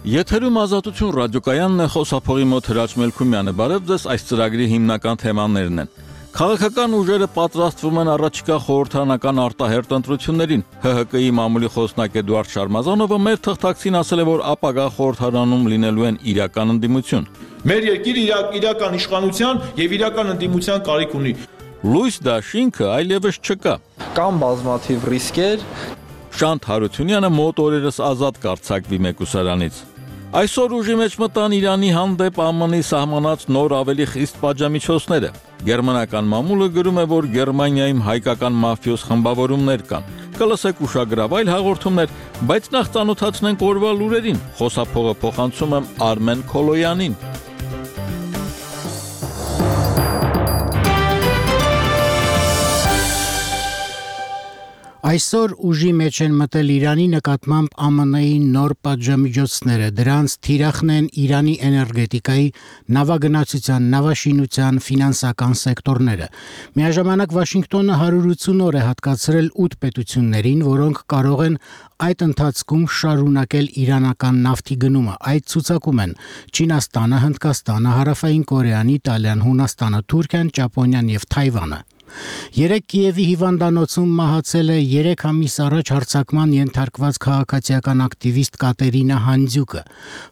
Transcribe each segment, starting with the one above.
Եթերում Ազատություն ռադիոկայանն է, խոսափողի մոտ Հրաչ Մելքումյանը։ Բարև ձեզ, այս ծրագրի հիմնական թեմաներն են։ Քաղաքական ուժերը պատրաստվում են առաջիկա խորհրդարանական արտահերթ ընտրություններին։ ՀՀԿ-ի մամուլի խոսնակ Էդուարդ Շարմազանովը մեր թղթակցին ասել է, որ ապագա խորհրդարանում լինելու են իրական ընդդիմություն։ Մեր երկիրը իրական իշխանության եւ իրական ընդդիմության կարիք ունի։ Լույս դաշինքը այլևս չկա։ Կան բազմաթիվ ռիսկեր։ Շանթ Հարությունյանը մոտ օրերս ազատ կարձակվի մեկուսարանից։ Այսօր ուժի մեջ մտան Իրանի հանդեպ ԱՄՆ-ի սահմանած նոր ավելի խիստ պատժամիջոցները։ Գերմանական մամուլը գրում է, որ Գերմանիայում հայկական մաֆիոզ խմբավորումներ կան։ Կլսեք ուշագրավ այլ հաղորդումներ, բայց նախ ծանոթացնենք օրվա լուրերին։ Խոսափողը փոխանցում եմ Արմեն Քոլոյանին։ Այսօր ուժի մեջ են մտել Իրանի նկատմամբ ԱՄՆ-ի նոր պատժամիջոցները, դրանց թիրախն են Իրանի էներգետիկայի, նավագնացության, նավաշինության, ֆինանսական սեկտորները։ Միաժամանակ Վաշինգտոնը 180 օր է հատկացրել 8 պետություններին, որոնք կարող են այդ ընթացքում շարունակել իրանական նավթի գնումը։ Այդ ցուցակում են Չինաստանը, Հնդկաստանը, Հարավային Կորեան, Իտալիան, Հունաստանը, Թուրքիան, Ճապոնիան եւ Թայվանը։ Երեկ Կիևի հիվանդանոցում մահացել է 3 ամիս առաջ հարձակման ենթարկված քաղաքացիական ակտիվիստ Կատերինա Հանդզյուկը։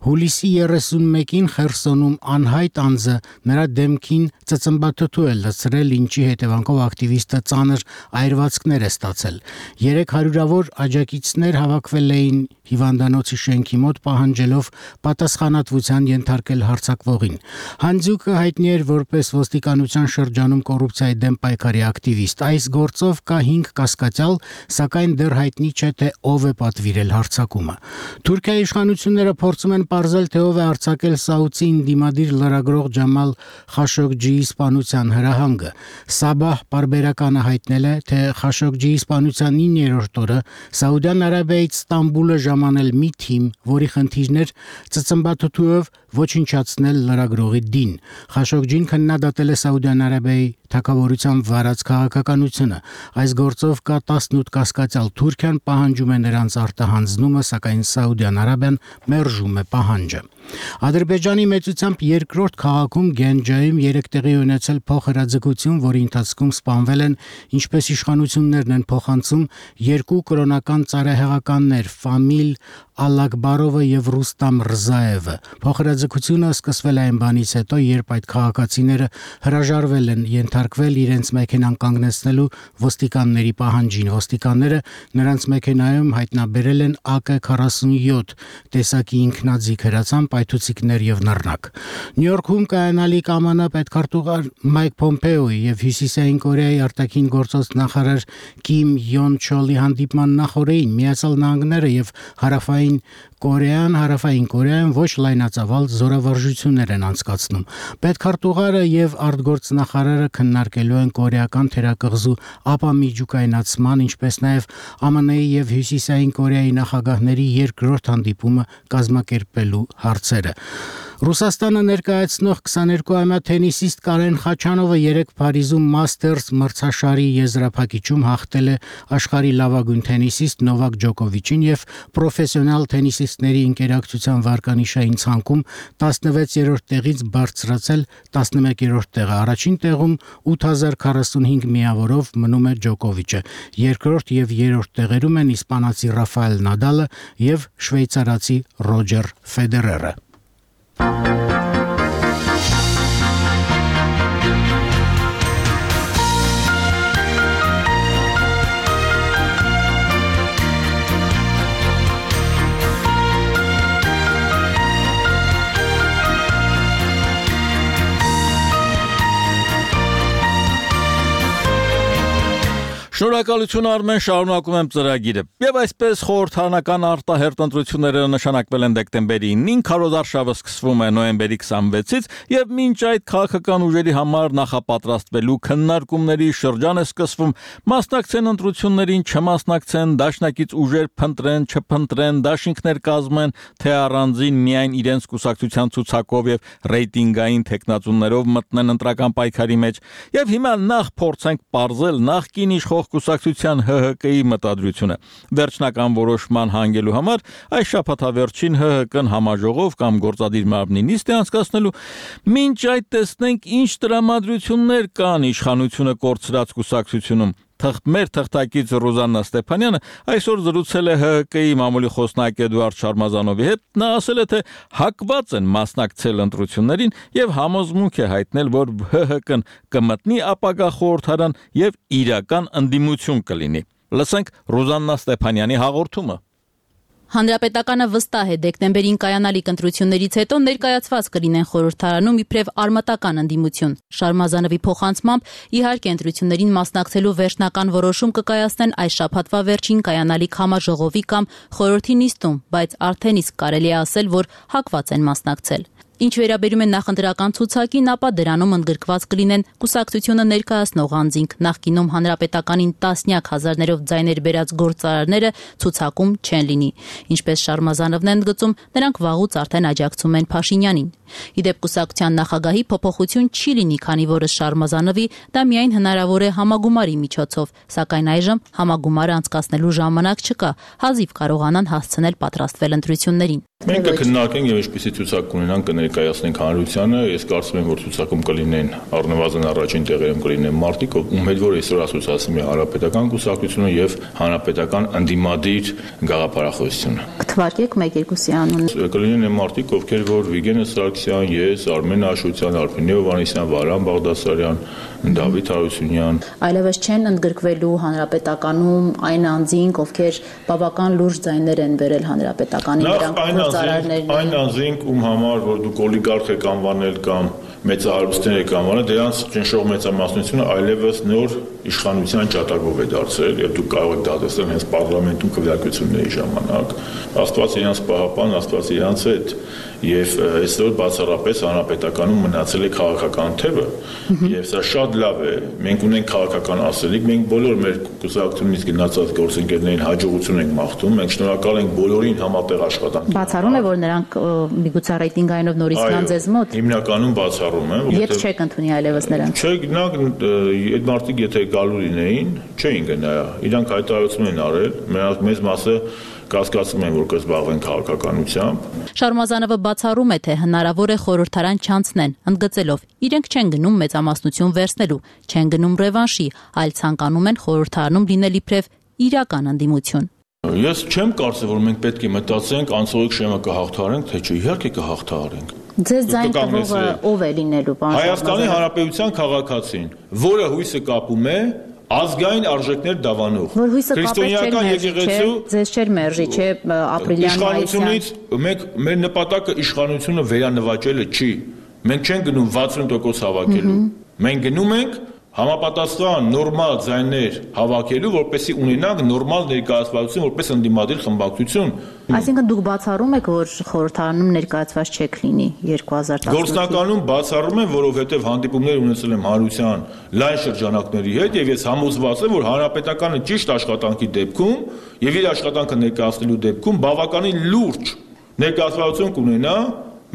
Հուլիսի 31-ին Խերսոնում անհայտ անձը նրա դեմքին ծծմբաթթու է լցրել, ինչի հետևանքով ակտիվիստը ծանր այրվածքներ է ստացել։ 300-ավոր աջակիցներ հավաքվել էին հիվանդանոցի շենքի մոտ, պահանջելով պատասխանատվության ենթարկել հարձակվողին։ Հանդզյուկը հայտնի էր որպես ոստիկանության շրջանում կոռուպցիայի դեմ պայքարի ակտիվիստ։ Այս գործով կա 5 կասկածյալ, սակայն դեռ հայտնի չէ, թե ով է պատվիրել հարձակումը։ Թուրքիայի իշխանությունները փորձում են պարզել, թե ով է արձակել Սաուդին դիմադիր լրագրող Ջամալ Խաշոգջիի սպանության հրահանգը։ Սաբահ պարբերականը հայտնել է, թե Խաշոգջիի սպանության 9-րդ օրը Սաուդյան Արաբիայից Ստամբուլը ժամանել մի թիմ, որի խնդիրն էր ծծմբաթթուով ոչնչացնել լրագրողի դին։ Խաշոգջին քննադատել է Սաուդյան Արաբիայի թագավորության վարած քաղաքականությունը։ Այս գործով կա 18 կասկածյալ։ Թուրքիան պահանջում է նրանց արտահանձնումը, սակայն Սաուդյան Արաբիան մերժում է պահանջը։ Ադրբեջանի մեծությամբ երկրորդ քաղաքում Գենջայում 3 տեղի ունեցել փոխհրաձգություն, որի ընթացքում սպանվել են, ինչպես իշխանություններն են փոխանցում, 2 կրոնական ծառայահեղականներ՝ Ֆամիլ Ալակբարովը եւ Ռուստամ Ռզաևը։ Փոխհրաձգությունը սկսվել է այն բանից հետո, երբ այդ քաղաքացիները հրաժարվել են ենթարկվել իրենց մեքենան կանգնեցնելու ոստիկանների պահանջին։ Ոստիկանները նրանց մեքենայում հայտնաբերել են AK-47 տեսակի ինքնաձիգ հրացան, պայթուցիկներ եւ նռնակ։ Նյու Յորքում կայանալիք ԱՄՆ պետքարտուղար Մայք Պոմպեոյի եւ Հյուսիսային Կորեայի արտաքին գործոստ նախարար Կիմ Յոն Չոլի հանդիպման նախօրեին Միացյալ Նահանգները եւ Հարավային Կորեան ոչ լայնածավալ զորավարժություններ են անցկացնում։ Պետքարտուղարը եւ արտգործնախարարը քննարկելու են կորեական թերակղզու ապամիջուկայնացման, ինչպես նաեւ ԱՄՆ-ի եւ Հյուսիսային Կորեայի նախագահների երկրորդ հանդիպումը կազմակերպելու հարցերը։ Ռուսաստանը ներկայացնող 22-ամյա թենիսիստ Կարեն Խաչանովը երեկ Փարիզում Մաստերս մրցաշարի եզրափակիչում հաղթել է աշխարհի լավագույն թենիսիստ Նովակ Ջոկովիչին եւ պրոֆեսիոնալ թենիսիստների ընկերակցության վարկանիշային ցանկում 16-րդ տեղից բարձրացել 11-րդ տեղը։ Առաջին տեղում 8045 միավորով մնում է Ջոկովիչը։ Երկրորդ եւ երրորդ տեղերում են իսպանացի Ռաֆայել Նադալը եւ շվեյցարացի Ռոջեր Ֆեդերերը։ Շնորհակալություն Արմեն, շարունակում եմ ծրագիրը։ Եվ այսպես խորհրդարանական արտահերթ ընտրությունները նշանակվել են դեկտեմբերի 9-ին, քարոզարշավը սկսվում է նոյեմբերի 26-ից եւ մինչ այդ քաղաքական ուժերի համար նախապատրաստվելու քննարկումների շրջան է սկսվում։ Մասնակցեն ընտրություններին, չմասնակցեն, դաշնակից ուժեր փնտրեն, չփնտրեն, դաշինքներ կազմեն, թե առանձին միայն իրենց կուսակցության ցուցակով եւ ռեյտինգային տեխնացուներով մտնեն ընտրական պայքարի մեջ։ Եվ հիմա նախ փորձենք պարզել նախկին իշխող կուսակցության ՀՀԿ-ի մտադրությունը։ Վերջնական որոշման հանգելու համար այս շաբաթավերջին ՀՀԿ-ն համաժողով կամ գործադիր մարմնի նիստ է անցկացնելու։ Մինչ այդ տեսնենք ինչ տրամադրություններ կան իշխանությունը կորցրած կուսակցությունում։ Մեր թղթակից Ռուզաննա Ստեփանյանը այսօր զրուցել է ՀՀԿ-ի մամուլի խոսնակ Էդուարդ Շարմազանովի հետ։ Նա ասել է, թե հակված են մասնակցել ընտրություններին եւ համոզմունք է հայտնել, որ ՀՀԿ-ն կմտնի ապագա խորհրդարան եւ իրական ընդդիմություն կլինի։ Լսենք Ռուզաննա Ստեփանյանի հաղորդումը։ Հանրապետականը վստահ է դեկտեմբերին կայանալիք ընտրություններից հետո ներկայացված կլինեն խորհրդարանում իբրև արմատական ընդդիմություն։ Շարմազանովի փոխանցմամբ իհարկե ընտրություններին մասնակցելու վերջնական որոշում կկայացնեն այս շաբաթվա վերջին կայանալիք համաժողովի կամ խորհրդի նիստում, բայց արդեն իսկ կարելի է ասել, որ հակված են մասնակցել։ Ինչ վերաբերում է նախընտրական ցուցակին, ապա դրանում ընդգրկված կլինեն կուսակցությունը ներկայացնող անձինք, նախկինում հանրապետականին տասնյակ հազարներով ձայներ բերած գործարարները ցուցակում չեն լինի։ Ինչպես Շարմազանովն է ընդգծում, նրանք վաղուց արդեն աջակցում են Փաշինյանին։ Իդեպ կուսակցության նախագահի փոփոխություն չի լինի, քանի որ Շարմազանովի դա միայն հնարավոր է համագումարի միջոցով, սակայն այժմ համագումարը անցկացնելու ժամանակ չկա, հազիվ կարողանան հասցնել պատրաստվել ընտրություններին։ Մենք կքննարկենք եւ ինչպիսի ցուցակ կունենանք կներկայացնենք հանրությանը։ Ես կարծում եմ, որ ցուցակում կլինեն առնվազն առաջին տեղերում կլինեն մարդիկ, ում հետ որ այսօր ասոցիացվում է հանրապետական կուսակցությունը եւ հանրապետական ընդդիմադիր գաղափարախոսությունը։ Կթվարկեք 1-2-ի անունը։ Կլինեն մարդիկ, ովքեր որ Վիգեն Սարգսյան, ես, Արմեն Աշոտյան, Արփին Հովհաննիսյան, Վարան Բաղդասարյան, Դավիթ Հարությունյան։ Այլևս չեն ընդգրկվելու հանրապետականում այն անձինք, ովքեր բավական լուրջ ձայներ են բերել հանրապետականի դրանք այն անձինք, ում համար որ դուք օլիգարխ եք անվանել կամ մեծահարուստներ եք անվանել, դրանց ճնշող մեծամասնությունը այլևս նոր իշխանության ճատակով է դարձել եւ դուք կարող եք դա տեսնել հենց պարլամենտում քվեարկությունների ժամանակ։ Աստված իրանց պահապան, Աստված իրանց հետ եւ այսօր բացառապես հանրապետականում մնացել է քաղաքական թևը եւ սա շատ լավ է։ Մենք ունենք քաղաքական ասելիք, մենք բոլոր մեր կուսակցությունից գնացած գործընկերներին հաջողություն ենք մաղթում, մենք շնորհակալ ենք բոլորին համատեղ աշխատանքի։ Բացառում է, որ նրանք միգուցե ռեյտինգայինով նորից գան ձեզ մոտ։ Հիմնականում բացառում է։ Եվ չեք ընդունի այլևս նրանց։ Չէ, գնանք այդ մարդիկ եթե գալու լինեին, չէին գնա։ Իրանք հայտարարություն են արել, մեծ մասը կասկածում են, որ կզբաղվեն քաղաքականությամբ։ Շարմազանովը բացառում է, թե հնարավոր է խորհրդարան չանցնեն, ընդգծելով, իրենք չեն գնում մեծամասնություն վերցնելու, չեն գնում ռևանշի, այլ ցանկանում են խորհրդարանում լինել իբրև իրական ընդդիմություն։ Ես չեմ կարծել, որ մենք պետք է մտածենք անցողիկ շեմը կհաղթահարենք, թե չէ, իհարկե կհաղթահարենք։ Ձեզ ձայն տվողը ով է լինելու, պարոն Հայաստանի Հանրապետության քաղաքացին, որը հույսը կապում է ազգային արժեքներ դավանող։ Որ հույսը կապել եկեղեցու ձեզ չէր մերժի, չէ, ապրիլյան իշխանությունից մեր նպատակը իշխանությունը վերանվաճելը չի։ Մենք չենք գնում 60% հավաքելու։ Մենք գնում ենք համապատասխան նորմալ ձայներ հավաքելու, որպեսզի ունենանք նորմալ ներկայացվածություն, որպես ընդդիմադիր խմբակցություն։ Այսինքն դուք բացառում եք, որ խորհրդարանում ներկայացված չեք լինի 2018։ Գործնականում բացառում եմ, որովհետև հանդիպումներ ունեցել եմ հանրության լայն շրջանակների հետ եւ ես համոզված եմ, որ հանրապետականը ճիշտ աշխատանքի դեպքում եւ իր աշխատանքը ներկայացնելու դեպքում բավականին լուրջ ներկայացվածություն կունենա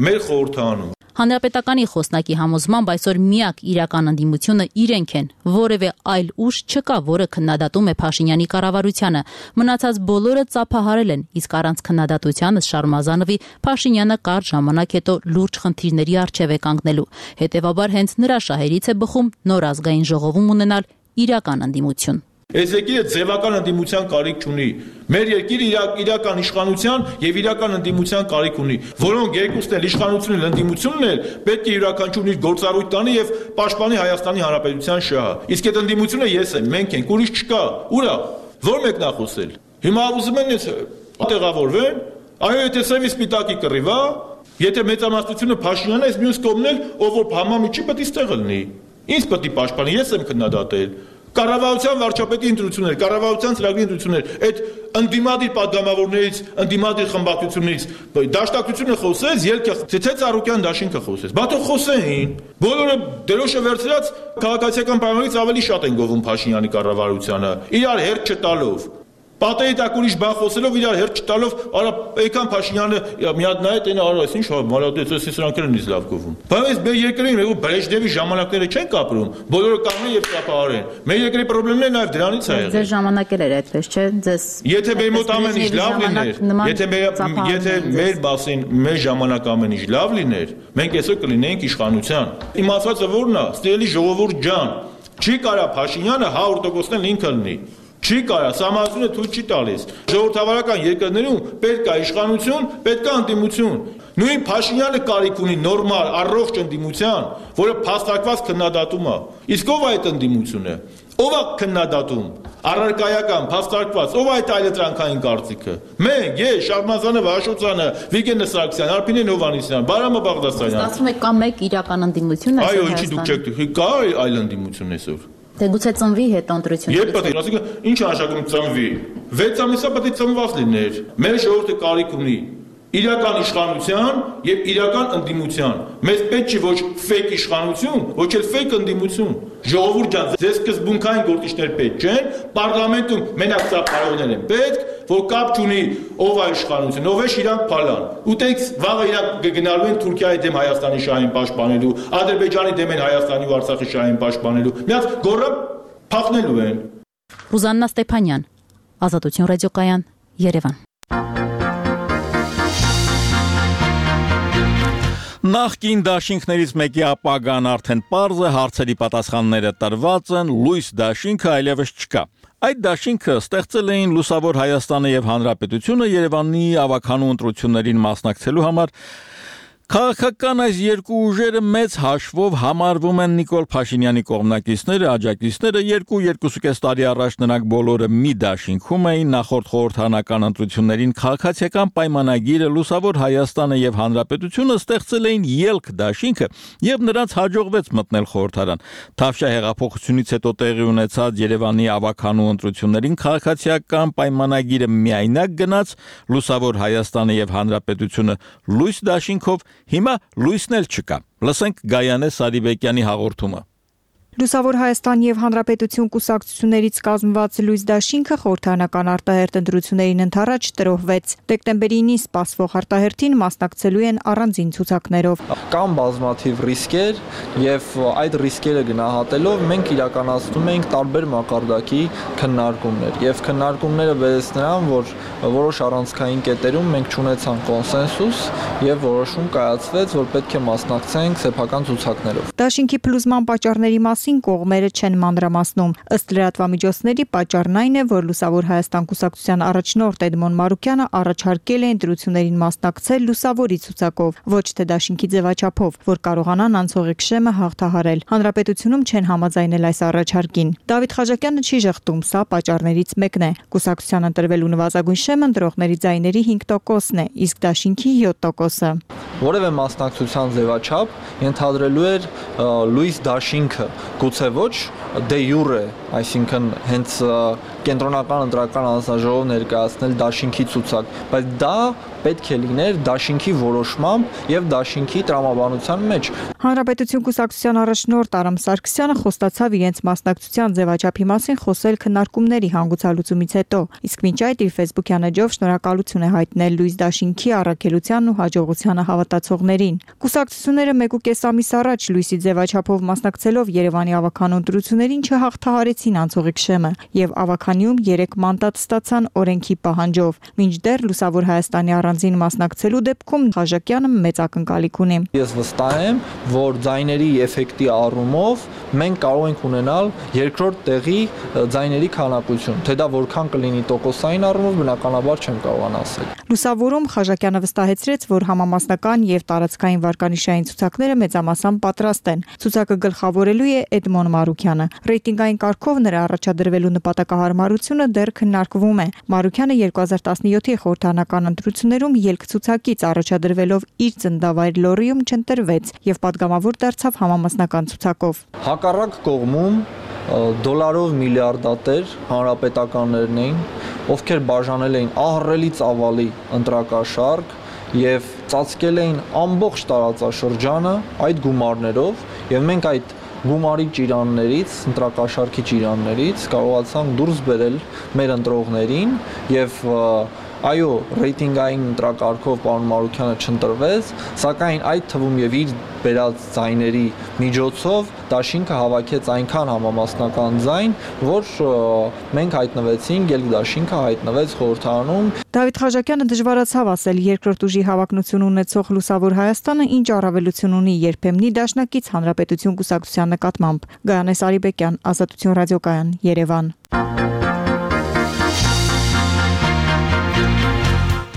մեր խորհրդարանում։ Հանրապետականի խոսնակի համոզմամբ այսօր միակ իրական ընդդիմությունը իրենք են, որևէ այլ ուժ չկա, որը քննադատում է Փաշինյանի կառավարությանը։ Մնացած բոլորը ծափահարել են, իսկ առանց քննադատության Շարմազանովի Փաշինյանը կարճ ժամանակ հետո լուրջ խնդիրների առջև է կանգնելու։ Հետևաբար հենց նրա շահերից է բխում նոր ազգային ժողովում ունենալ իրական ընդդիմություն։ Այս երկիրը ձևական ընդդիմության կարիք չունի։ Մեր երկիրը իրական իշխանության եւ իրական ընդդիմության կարիք ունի, որոնք երկուսն էլ իշխանությունն էլ ընդդիմությունն էլ պետք է յուրաքանչյուրն իր գործառույթ տանի եւ պաշտպանի Հայաստանի Հանրապետության շահը։ Իսկ այդ ընդդիմությունը ես եմ, մենք ենք, ուրիշ չկա։ Ուրա, ո՞ր մեկն է խոսել։ Հիմա ուզում են տեղավորվեն, այո, եթե սևի սպիտակի կռիվ է, եթե մեծամասնությունը Փաշինյանն է, այս մյուս կողմն էլ, ով որ համամիջի պետք է ստեղը լինի։ Ինչ պետք է պաշտպանի, ես եմ քննադատել։ Կառավարության վարչապետի ընտրություններ, կառավարության ծրագրի ընտրություններ, այդ ընդդիմադիր падգամավորներից, ընդդիմադիր խմբակցություններից դաշնակցությունը խոսեց, ելքը թե Ծառուկյան դաշինքը խոսեց։ Բա թող խոսեին։ Բոլորը դերոշը վերցրած քաղաքացիական պայմաններից ավելի շատ են գովում Փաշինյանի կառավարությանը, իրար հերթ չտալով։ Պատերի տակ ուրիշ բան խոսելով իրար հերթ չտալով, արա եկան Փաշինյանը մի հատ նայեց, այն արա, ինչ մալադեց, սրանք են ինձ լավ գովում։ Բայց մեր երկրին ու Բրեժնևի ժամանակները չեն կապրում, բոլորը կանգնեն եւ կապահարեն։ Մեր երկրի խնդիրները նաեւ դրանից է եղել։ Ձեր ժամանակել էր այդպես, չէ՞, ձեզ։ Եթե մեր մոտ ամեն ինչ լավ լիներ, եթե մեր բասին մեր ժամանակ ամեն ինչ լավ լիներ, մենք այսօր կլինեինք իշխանության։ Իմ ասածը ո՞րն է, ստելի ժողովուրդ ջան, չի կարա Փաշինյանը 100%-ն ինքը լինի։ Չի կարա, համազունը թույլ չի տալիս։ Ժողովրդավարական երկրներում պետք է իշխանություն, պետք է ընդդիմություն։ Նույն Փաշինյանը կարիք ունի նորմալ, առողջ ընդդիմության, որը փաստարկված քննադատում է։ Իսկ ով է այդ ընդդիմությունը։ Ով է քննադատում։ Առարկայական, փաստարկված, ով է այդ այլընտրանքային կարծիքը։ Մենք, ես, Շարմազանը, Վաշոցյանը, Վիգենը Սարգսյանը, Արփինեն Հովհաննիսյանը, Բարամը Բաղդասարյանը։ Ստացվում է կա մեկ իրական ընդդիմություն այսօր։ Այո, ինչի դուք չեք, կա այլ ընդդիմություն այսօր։ Դե գուցե ծնվի հետո ընտրություններից։ Երբ պետք է, ասիկա, ինչ անշակում ծնվի։ 6 ամիսա պետք է ծնված լիներ։ Մեր ժողովուրդը կարիք ունի իրական իշխանության եւ իրական ընդդիմության։ Մեզ պետք չի ոչ ֆեյք իշխանություն, ոչ էլ ֆեյք ընդդիմություն։ Ժողովուրդ ջան, ձեզ սկզբունքային գործիչներ պետք չեն, պարլամենտում մենակ սա բարողներ են պետք, որ կապ չունի ով է իշխանություն, ով է իրանք փալան։ Ուտենք վաղը իրանք կգնալու են Թուրքիայի դեմ Հայաստանի շահին պաշտպանելու, Ադրբեջանի դեմ են Հայաստանի ու Արցախի շահին պաշտպանելու։ Միած գոռը փախնելու են։ Ռուզաննա Ստեփանյան, Ազատություն ռադիոկայան, Երևան։ Նախկին դաշինքներից մեկի ապագան արդեն պարզ է, հարցերի պատասխանները տրված են, լույս դաշինքը այլևս չկա։ Այդ դաշինքը ստեղծել էին Լուսավոր Հայաստանը եւ Հանրապետությունը Երևանի ավականու ընտրություններին մասնակցելու համար։ Քաղաքական այս երկու ուժերը մեծ հաշվով համարվում են Նիկոլ Փաշինյանի կողմնակիցները, աջակիցները, 2-2.5 տարի առաջ նրանք բոլորը մի դաշինքում էին, նախորդ խորհրդարանական ընտրություններին քաղաքացիական պայմանագիրը Լուսավոր Հայաստանը եւ Հանրապետությունը ստեղծել էին ելք դաշինքը եւ նրանց հաջողվեց մտնել խորհրդարան։ Թավշյա հեղափոխությունից հետո տեղի ունեցած Երևանի ավականու ընտրություններին քաղաքացիական պայմանագիրը միայնակ գնաց, Լուսավոր Հայաստանը եւ Հանրապետությունը լույս դաշինքով, հիմա լույսն էլ չկա։ Լսենք Գայանե Սարիբեկյանի հաղորդումը։ Լուսավոր Հայաստան եւ Հանրապետություն կուսակցություններից կազմված լույս դաշինքը խորհրդարանական արտահերթ ընտրություններին ընդառաջ տրոհվեց։ Դեկտեմբերի 9-ին սպասվող արտահերթին մասնակցելու են առանձին ցուցակներով։ Կան բազմաթիվ ռիսկեր եւ այդ ռիսկերը գնահատելով մենք իրականացնում ենք տարբեր մակարդակի քննարկումներ եւ քննարկումները բերեց նրան, որ որոշ առանցքային կետերում մենք չունեցանք կոնսենսուս եւ որոշում կայացվեց, որ պետք է մասնակցենք սեփական ցուցակներով։ Դաշինքի փլուզման պատճառների մասին կողմերը չեն մանրամասնում։ Ըստ լրատվամիջոցների պատճառն այն է, որ Լուսավոր Հայաստան կուսակցության առաջնորդ Էդմոն Մարուկյանը առաջարկել է ընտրություններին մասնակցել լուսավորի ցուցակով, ոչ թե դաշինքի ձևաչափով, որ կարողանան անցողիկ շեմը հաղթահարել։ Հանրապետությունում չեն համաձայնել այս առաջարկին։ Դավիթ Խաչակյանը չի ժխտում, սա պատճառներից մեկն է։ Կուսակցության ընտրվելու նվազագույն շեմը ընտրողների ձայների 5%-ն է, իսկ դաշինքի 7%-ը։ Որևէ մասնակցության ձևաչափ ենթադրելու էր լույս դաշինքը, գուցե ոչ դե յուրե, այսինքն հենց կենտրոնական ընտրական հանձնաժողով ներկայացնել դաշինքի ցուցակ, բայց դա պետք է լիներ դաշինքի որոշմամբ եւ դաշինքի տրամաբանության մեջ։ Հանրապետություն կուսակցության առաջնորդ Արամ Սարգսյանը խոստացավ իրենց մասնակցության ձևաչափի մասին խոսել քննարկումների հանգուցալուծումից հետո, իսկ մինչ այդ իր Facebook-յան էջով շնորհակալություն է հայտնել լույս դաշինքի առաքելությանն ու հաջողությանը հավատացողներին։ Կուսակցությունները 1.5 ամիս առաջ լույսի ձևաչափով մասնակցելով Երևանի ավականու ընտրություններին չհաղթահարեցին անցողիկ շեմը եւ ավականիում 3 մանդատ ստացան օրենքի պահանջով, մինչդեռ Լուսավոր Հայաստանի առանձին մասնակցելու դեպքում Խաչակյանը մեծ ակնկալիք ունի։ Ես վստահ եմ, որ ձայների էֆեկտի առումով մենք կարող ենք ունենալ երկրորդ տեղի ձայների քանակություն, թե դա որքան կլինի տոկոսային առումով բնականաբար չեմ կարող ասել։ Լուսավորում Խաչակյանը վստահեցրեց, որ համամասնական եւ տարածքային վարկանիշային ցուցակները մեծամասամբ պատրաստ են։ Ցուցակը գլխավորելու է Էդմոն Մարուկյանը։ Ռեյտինգային կարգով նրա առաջադրվելու նպատակահարմարությունը դեռ քննարկվում է։ Մարուկյանը 2017-ի խորհրդարանական ընտրություններում ելք ցուցակից առաջադրվելով իր ծննդավայր Լորիում չընտրվեց եւ падգամավոր դարձավ համամասնական ցուցակով։ Հակառակ կողմում դոլարով միլիարդատեր հանրապետականներն էին, ովքեր բաժանել էին ահռելի ծավալի ընտրակաշարք եւ ծածկել էին ամբողջ տարածաշրջանը այդ գումարներով եւ մենք այդ գումարի ճիրաններից, ընտրակաշառքի ճիրաններից կարողացանք դուրս բերել մեր ընտրողներին եւ այո, ռեյտինգային ընտրակարգով պարոն Մարուկյանը չընտրվեց, սակայն այդ թվում եւ իր բերած ձայների միջոցով դաշինքը հավաքեց այնքան համամասնական ձայն, որ մենք հայտնվեցինք, ելք դաշինքը հայտնվեց խորհրդարանում։ Դավիթ Խաչակյանը դժվարացավ ասել երկրորդ ուժի հավակնություն ունեցող Լուսավոր Հայաստանը ինչ առավելություն ունի երբեմնի դաշնակից Հանրապետություն կուսակցության նկատմամբ։ Գայանե Սարիբեկյան, Ազատություն ռադիոկայան, Երևան։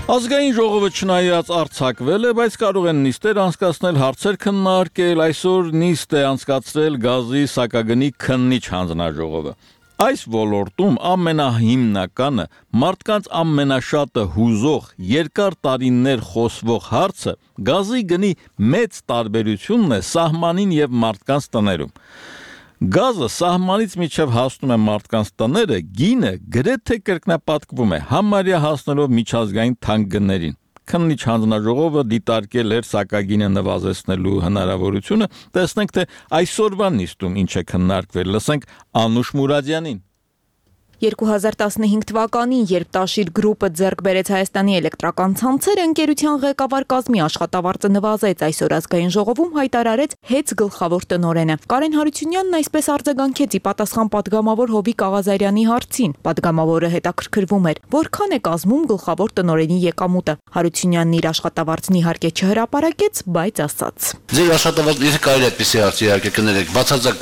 Ազգային ժողովը չնայած արձակվել է, բայց կարող են նիստեր անցկացնել, հարցեր քննարկել, այսօր նիստ է անցկացրել գազի սակագնի քննիչ հանձնաժողովը։ Այս ոլորտում ամենահիմնականը, մարդկանց ամենաշատը հուզող, երկար տարիներ խոսվող հարցը գազի գնի մեծ տարբերությունն է սահմանին եւ մարդկանց տներում։ Գազը սահմանից միջև հասնում է մարդկանց տները, գինը գրեթե կրկնապատկվում է, համարյա հասնելով միջազգային թանկ գներին։ Քննիչ հանձնաժողովը դիտարկել էր սակագինը նվազեցնելու հնարավորությունը, տեսնենք թե այսօրվա նիստում ինչ է քննարկվել, լսենք Անուշ Մուրադյանին։ 2015 թվականին, երբ Տաշիր գրուպը ձեռք բերեց Հայաստանի էլեկտրական ցանցերը, ընկերության ղեկավար կազմի աշխատավարձը նվազեց, այսօր ազգային ժողովում հայտարարեց ՀԵՑ գլխավոր տնօրենը։ Կարեն Հարությունյանն այսպես արձագանքեց ի պատասխան պատգամավոր Հովիկ Աղազարյանի հարցին։ Պատգամավորը հետաքրքրվում էր, որքան է կազմում գլխավոր տնօրենի եկամուտը։ Հարությունյանն իր աշխատավարձն իհարկե չհրապարակեց, բայց ասաց. Ձեր աշխատավարձը եթե կարելի է այդպեսի հարց իհարկե կներեք, բացարձակ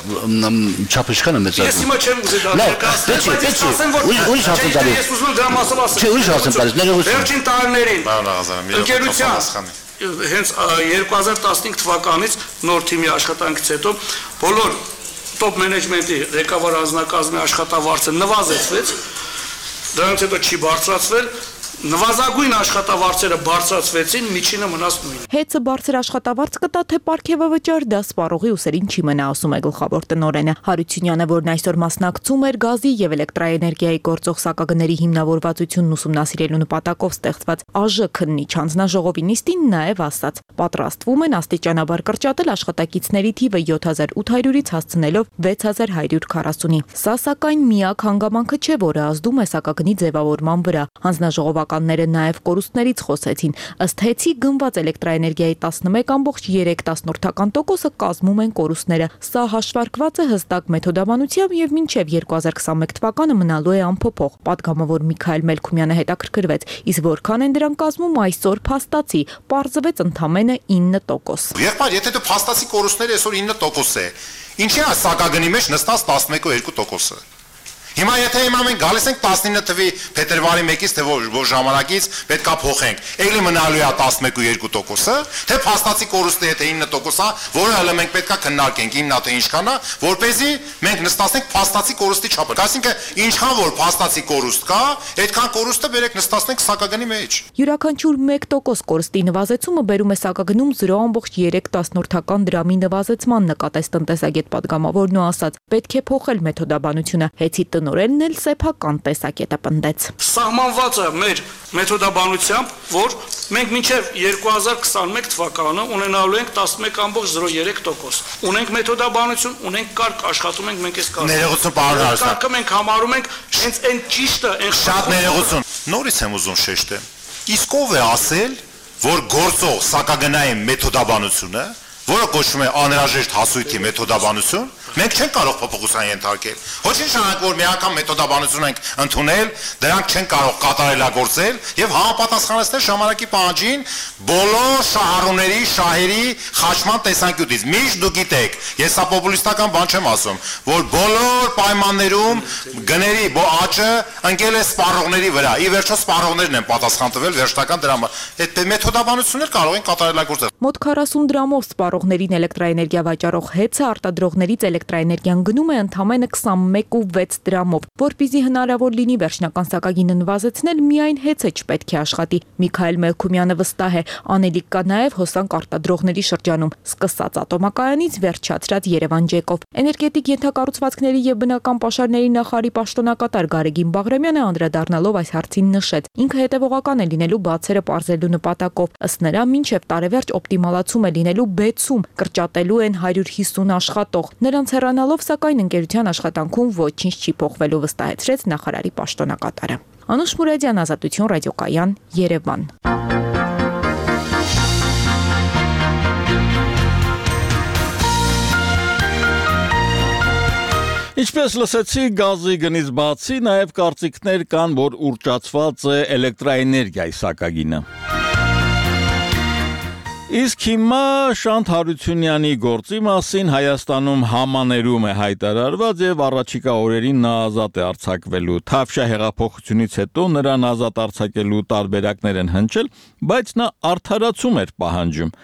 չափը ինչքան է մեծացնում։ Ես հիմա չեմ ուզի դա ներկայացնել, Ուրիշ հարց եմ տալիս։ Ես ուզում եմ դրա մասով ասել։ Չէ, ուրիշ հարց եմ տալիս, ներողություն։ Վերջին տարիներին ընկերության հենց 2015 թվականից նոր թիմի աշխատանքից հետո բոլոր top management-ի ղեկավար անձնակազմի աշխատավարձը նվազեցվեց, դրանից հետո չի բարձրացվել, նվազագույն աշխատավարձերը բարձրացվեցին, միջինը մնաց նույնը։ ՀԵՑ-ը բարձր աշխատավարձ կտա, թե պարգևը վճար, դա սպառողի ուսերին չի մնա, ասում է գլխավոր տնօրենը։ Հարությունյանը, որն այսօր մասնակցում էր գազի եւ էլեկտրաէներգիայի գործող սակագների հիմնավորվածությունն ուսումնասիրելու նպատակով ստեղծված ԱԺ քննիչ հանձնաժողովի նիստին, նաեւ ասաց. պատրաստվում են աստիճանաբար կրճատել աշխատակիցների թիվը 7800-ից հասցնելով 6140-ի։ Սա սակայն միակ հանգամանքը չէ, որը ազդում է սակագնի ձևավորման վրա։ Հանձնաժողովականները նաև կորուստներից խոսեցին։ Ըստ ՀԵՑ-ի գնված էլեկտրաէներգիայի 11.3%-ը կազմում են կորուստները։ Սա հաշվարկված է հստակ մեթոդաբանությամբ եւ մինչեւ 2021 թվականը մնալու է անփոփոխ։ Պատգամավոր Միքայել Մելքումյանը հետաքրքրվեց, իսկ որքան են դրան կազմում այսօր փաստացի, պարզվեց ընդամենը 9%։ Եղբայր, եթե դու փաստացի կորուստները այսօր 9% է, ինչի է սակագնի մեջ նստած 11.2%-ը։ Հիմա եթե մենք գալիս ենք 19 թվի փետրվարի 1-ից թե որ ժամանակից պետքա փոխենք, ելի մնալու է 11.2%-ը, թե փաստացի կորուստը եթե 9%-ա, որը հələ մենք պետքա քննարկենք հիմնա թե ինչքան է, որպեսզի մենք նստացնենք փաստացի կորուստի չափը։ Այսինքն ինչքան որ փաստացի կորուստ կա, այդքան կորուստը բերեք նստացնենք սակագնի մեջ։ Յուրաքանչյուր 1% կորստի նվազեցումը բերում է սակագնում 0.3 դրամի նվազեցման, նկատեց տնտեսագետ պատգամավորն ու ասաց. պետք է փոխել մեթոդաբանությունը։ ՀԵՑ-ի տնօրենն էլ սեփական տեսակետը պնդեց։ Սահմանված է մեր մեթոդաբանությամբ, որ մենք մինչև 2021 թվականը ունենալու ենք 11.03%։ Ունենք մեթոդաբանություն, ունենք կարգ, աշխատում ենք մենք այս կարգը։ Ներողություն, պարոն Հարությունյան։ Կարգը մենք համարում ենք հենց այն ճիշտը, այն շատ ներողություն։ Նորից եմ ուզում շեշտել։ Իսկ ով է ասել, որ գործող սակագնային մեթոդաբանությունը, որը կոչվում է անհրաժեշտ հասույթի մեթոդաբանություն, մենք չենք կարող փոփոխության ենթարկել։ Ոչինչ շարունակ որ մի անգամ մեթոդաբանություն ենք ընդունել, դրանք չեն կարող կատարելագործել եւ համապատասխանեցնել ժամանակի պահանջին բոլոր շահառուների, շահերի խաչման տեսանկյունից։ Միշտ դուք գիտեք, ես սա պոպուլիստական բան չեմ ասում, որ բոլոր պայմաններում գների աճը ընկել է սպառողների վրա։ Ի վերջո սպառողներն են պատասխան տվել վերջնական դրամը։ Այդ մեթոդաբանություններ կարող են կատարելագործել։ Մոտ 40 դրամով սպառողներին էլեկտրաէներգիա վաճառող ՀԵՑ-ը արտադրողներից էլեկտրաէներգիան գնում է ընդամենը 21.6 դրամով, որպեսզի հնարավոր լինի վերջնական սակագինը նվազեցնել, միայն ՀԵՑ-ը չպետք է աշխատի։ Միքայել Մելքումյանը վստահ է, անելիք կա նաև հոսանք արտադրողների շրջանում, սկսած ատոմակայանից վերջացրած Երևան ջեկով։ Էներգետիկ ենթակառուցվածքների եւ բնական պաշարների նախարարի պաշտոնակատար Գարեգին Բաղրամյանը անդրադառնալով այս հարցին նշեց. ինքը հետևողական է լինելու բացերը պարզելու նպատակով։ Ըստ նրա, մինչև տարեվերջ օպտիմալացում է լինելու բեցում, կրճատելու են 150 աշխատող։ Նրանց հեռանալով, սակայն ընկերության աշխատանքում ոչինչ չի փոխվելու, վստահեցրեց նախարարի պաշտոնակատարը։ Անուշ Մուրադյան, Ազատություն ռադիոկայան, Երևան։ Ինչպես լսեցի, գազի գնից բացի նաև կարծիքներ կան, որ ուռճացված է էլեկտրաէներգիայի սակագինը։ Իսկ հիմա Շանթ Հարությունյանի գործի մասին Հայաստանում համաներում է հայտարարված եւ առաջիկա օրերին նա ազատ է արձակվելու։ Թավշյա հեղափոխությունից հետո նրան ազատ արձակելու տարբերակներ են հնչել, բայց նա արդարացում էր պահանջում։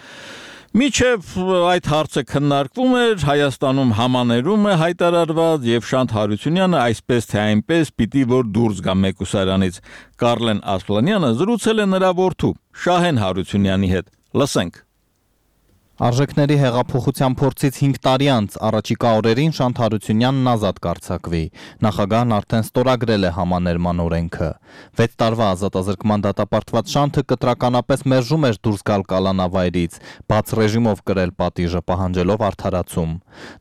Միջև այդ հարցը քննարկվում էր, Հայաստանում համաներում է հայտարարված եւ Շանթ Հարությունյանը այսպես թե այնպես պիտի որ դուրս գա մեկուսարանից։ Կարլեն Ասլանյանը զրուցել է նրա որդու Շահեն Հարությունյանի հետ։ Լսենք։ Արժեքների հեղափոխության փորձից 5 տարի անց առաջիկա օրերին Շանթ Հարությունյանն ազատ կարձակվի։ Նախագահն արդեն ստորագրել է համաներման օրենքը։ 6 տարվա ազատազրկման դատապարտված Շանթը կտրականապես մերժում էր դուրս գալ կալանավայրից, բաց ռեժիմով կրել պատիժը, պահանջելով արդարացում։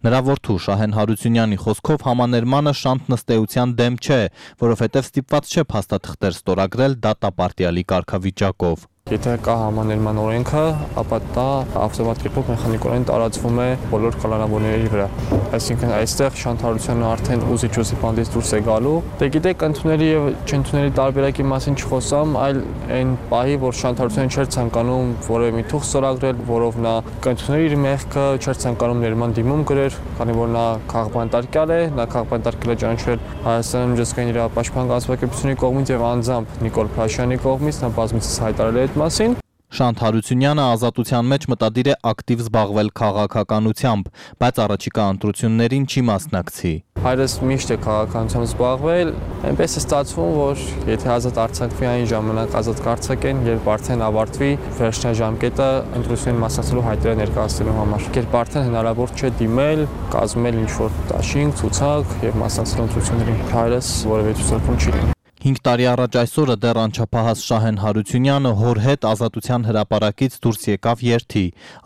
Նրա որդու Շահեն Հարությունյանի խոսքով համաներմանը Շանթն ըստ էության դեմ չէ, որովհետև ստիպված չէ փաստաթղթեր ստորագրել դատապարտյալի կարգավիճակով։ Եթե կա համաներման օրենքը, ապա դա ավտոմատ կերպով մեխանիկորեն տարածվում է բոլոր կալանավորների վրա։ Այսինքն այստեղ Շանթ Հարությունյանը արդեն ուզիչ բանդից դուրս է գալու։ Դե գիտեք, ընդունելի եւ չընդունելի տարբերակի մասին չխոսամ, այլ այն պահի, որ Շանթ Հարությունյանը չէր ցանկանում որևէ մի թուղթ ստորագրել, որով նա կընդուներ իր մեղքը, չէր ցանկանում ներման դիմում գրեր, քանի որ նա քաղբանտարկյալ է, նա քաղբանտարկել է ճանաչվել Հայաստանի միջազգային իրավապաշտպան կազմակերպությունների կողմից եւ անձամբ Նիկոլ Փաշյանի կողմից, նա բազմիցս հայտարարել է մասին։ Շանթ Հարությունյանը ազատության մեջ մտադիր է ակտիվ զբաղվել քաղաքականությամբ, բայց առաջիկա ընտրություններին չի մասնակցի։ Հայրս միշտ է քաղաքականությամբ զբաղվել, այնպես է ստացվում, որ եթե ազատ արձակվի այն ժամանակ ազատ կարձակեն, երբ արդեն ավարտվի վերջնաժամկետը ընտրություններին մասնակցելու հայտարարը ներկայացնելու համար։ Երբ արդեն հնարավոր չէ դիմել, կազմել ինչ-որ դաշինք, ցուցակ եւ մասնակցել ընտրություններին, հայրս որևէ ցուցակում չի լինի։ 5 տարի առաջ այսօրը դեռ անչափահաս Շահեն Հարությունյանը հոր հետ ազատության հրապարակից դուրս եկավ երթի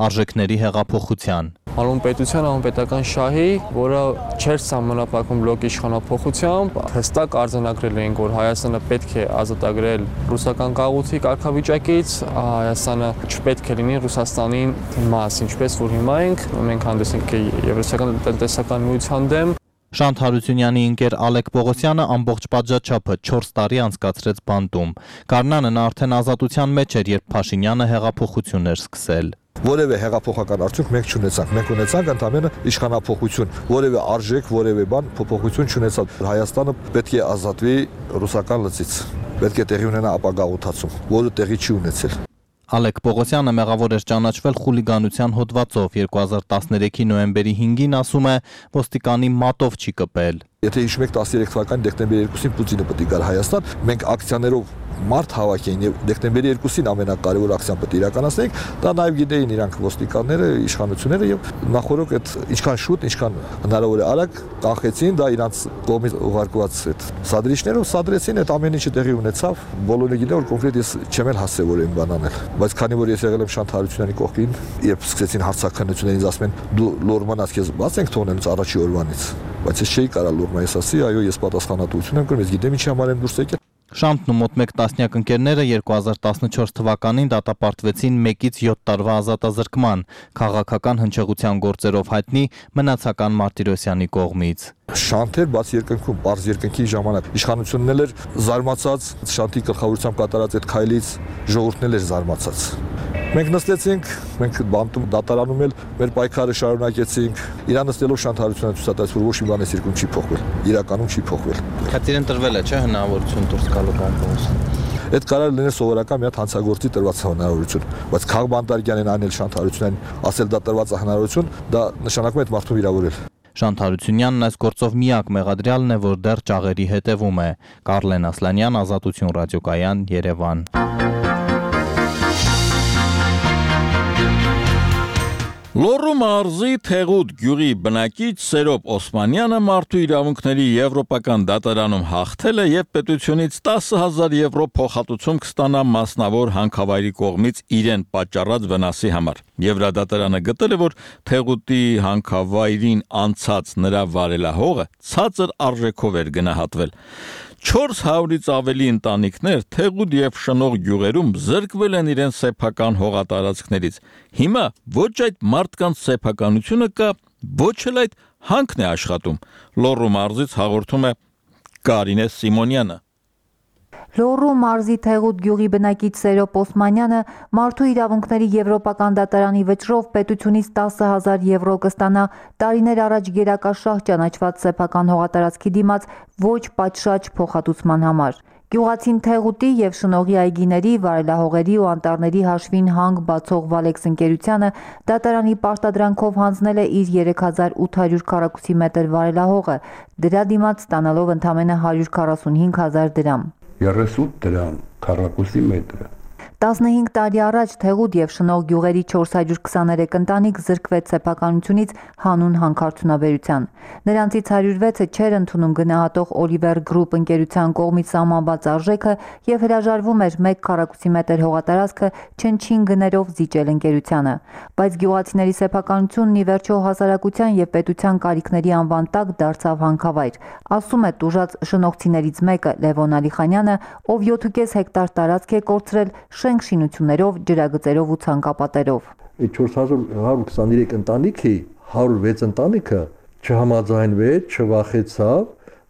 արժեքների հեղափոխության։ Հանուն պետության, հանուն պետական շահի, որը չէր սահմանափակվում բլոկի իշխանափոխությամբ, հստակ արձանագրել էին, որ Հայաստանը պետք է ազատագրել ռուսական գաղութի կարգավիճակից, Հայաստանը չպետք է լինի Ռուսաստանի մաս, ինչպես որ հիմա ենք, մենք հանդես ենք Եվրասիական տնտեսական միության դեմ։ Շանթ Հարությունյանի ընկեր Ալեք Պողոսյանը ամբողջ պատժաչափը 4 տարի անցկացրեց բանտում։ Գարնանը նա արդեն ազատության մեջ էր, երբ Փաշինյանը հեղափոխություն էր սկսել։ Որևէ հեղափոխական արդյունք մենք չունեցանք, մենք ունեցանք ընդհանրապես իշխանափոխություն, որևէ արժեք, որևէ բան փոփոխություն չունեցավ։ Հայաստանը պետք է ազատվի ռուսական լծից, պետք է տեղի ունենա ապագաղութացում, որը տեղի չի ունեցել։ Ալեք Պողոսյանը մեղավոր էր ճանաչվել խուլիգանության հոդվածով, 2013-ի նոյեմբերի 5-ին ասում է, ոստիկանի մատով չի կպել։ Եթե հիշում եք 13 թվականի դեկտեմբերի 2-ին Պուտինը պետք է գար Հայաստան, մենք ակցիաներով մարդ հավաքեին եւ դեկտեմբերի 2-ին ամենակարևոր ակցիան պետք է իրականացնենք, դա նաեւ գիտեին իրանք ոստիկանները, իշխանությունները եւ նախորոք այդ ինչքան շուտ, ինչքան հնարավոր է արագ կանխեցին, դա իրանք կողմից ուղարկված այդ սադրիչներով սադրեցին, այդ ամեն ինչը տեղի ունեցավ, բոլորը գիտեն որ կոնկրետ ես չեմ էլ հասել որ այն բան անել, բայց քանի որ ես եղել եմ Շանթ Հարությունյանի կողքին, երբ սկսեցին հարցաքննությունները ինձ ասում են դու լորմանաց քեզ բաց ենք թողնելուց առաջի օրվանից, բայց ես չէի կարա լորմա ես ասի, այո ես պատասխանատվություն եմ կրում, ես գիտեմ ինչի համար եմ դուրս եկել։ Շանթն ու մոտ 1 տասնյակ ընկերները 2014 թվականին դատապարտվեցին 1-ից 7 տարվա ազատազրկման քաղաքական հնչեղության գործերով հայտնի Մնացական Մարտիրոսյանի կողմից։ Շանթեր բաց երկնքում, բարձ երկնքի ժամանակ իշխանությունն էլ էր զարմացած, Շանթի գլխավորությամբ կատարած այդ քայլից ժողովուրդն էլ էր զարմացած։ Մենք նստեցինք, մենք բանտում դատարանում էլ մեր պայքարը շարունակեցինք։ Իրան նստելով Շանթ Հարությունյանը ցույց տալիս, որ ոչ մի բան այս երկրում չի փոխվել, իրականում չի փոխվել։ Քատիրեն տրվել է, չէ՞, հնարավորություն դուրս գալու բանտից։ Այդ կարա լինել սովորական մի հատ հանցագործի տրված հնարավորություն, բայց քաղբանտարկյանն անել Շանթ Հարությունյանին ասել դա տրված հնարավորություն, դա նշանակում է այդ մարդուն վիրավորել։ Շանթ Հարությունյանն այս գործով միակ մեղադրյալն է, որ դեռ ճաղերի հետևում է։ Կարլեն Ասլանյան, Ազատություն ռադիոկայան, Երևան։ Լոռու մարզի Թեղուտ գյուղի բնակիչ Սերոբ Օսմանյանը մարդու իրավունքների եվրոպական դատարանում հաղթել է եւ պետությունից 10,000 եվրո փոխհատուցում կստանա մասնավոր հանքավայրի կողմից իրեն պատճառած վնասի համար։ Եվրադատարանը գտել է, որ Թեղուտի հանքավայրին անցած նրա վարելահողը ցածր արժեքով էր գնահատվել։ 400-ից ավելի ընտանիքներ Թեղուտ եւ Շնող գյուղերում զրկվել են իրենց սեփական հողատարածքներից։ Հիմա ոչ այդ մարդկանց սեփականությունը կա, ոչ էլ այդ հանքն է աշխատում։ Լոռու մարզից հաղորդում է Կարինե Սիմոնյանը։ Լոռու մարզի Թեղուտ գյուղի բնակիչ Սերոբ Օսմանյանը մարդու իրավունքների եվրոպական դատարանի վճռով պետությունից 10,000 եվրո կստանա տարիներ առաջ գերակաշահ ճանաչված սեփական հողատարածքի դիմաց ոչ պատշաճ փոխհատուցման համար։ Գյուղացին Թեղուտի եւ Շնողի այգիների, վարելահողերի ու անտառների հաշվին հանք բացող Վալեքս ընկերությանը դատարանի պարտադրանքով հանձնել է իր 3800 քառակուսի մետր վարելահողը, դրա դիմաց ստանալով ընդամենը 145,000 դրամ։ 38 դրամ քառակուսի մետր։ 15 տարի առաջ Թեղուտ եւ Շնող գյուղերի 423 ընտանիք զրկվեց սեփականությունից հանուն հանքարդյունաբերության։ Նրանցից 106-ը չէր ընդունում գնահատող Oliver Group ընկերության կողմից սահմանված արժեքը եւ հրաժարվում էր 1 քառակուսի մետր հողատարածքը չնչին գներով զիջել ընկերությանը։ Բայց գյուղացիների սեփականությունն ի վերջո հասարակության եւ պետության կարիքների անվան տակ դարձավ հանքավայր, ասում է տուժած շնողցիներից մեկը Լևոն Ալիխանյանը, ով 7.5 հեկտար տարածք է կորցրել շենք շինություններով, ջրագծերով ու ցանկապատերով։ Այդ 423 ընտանիքի 106 ընտանիքը չհամաձայնվեց, չվախեցավ,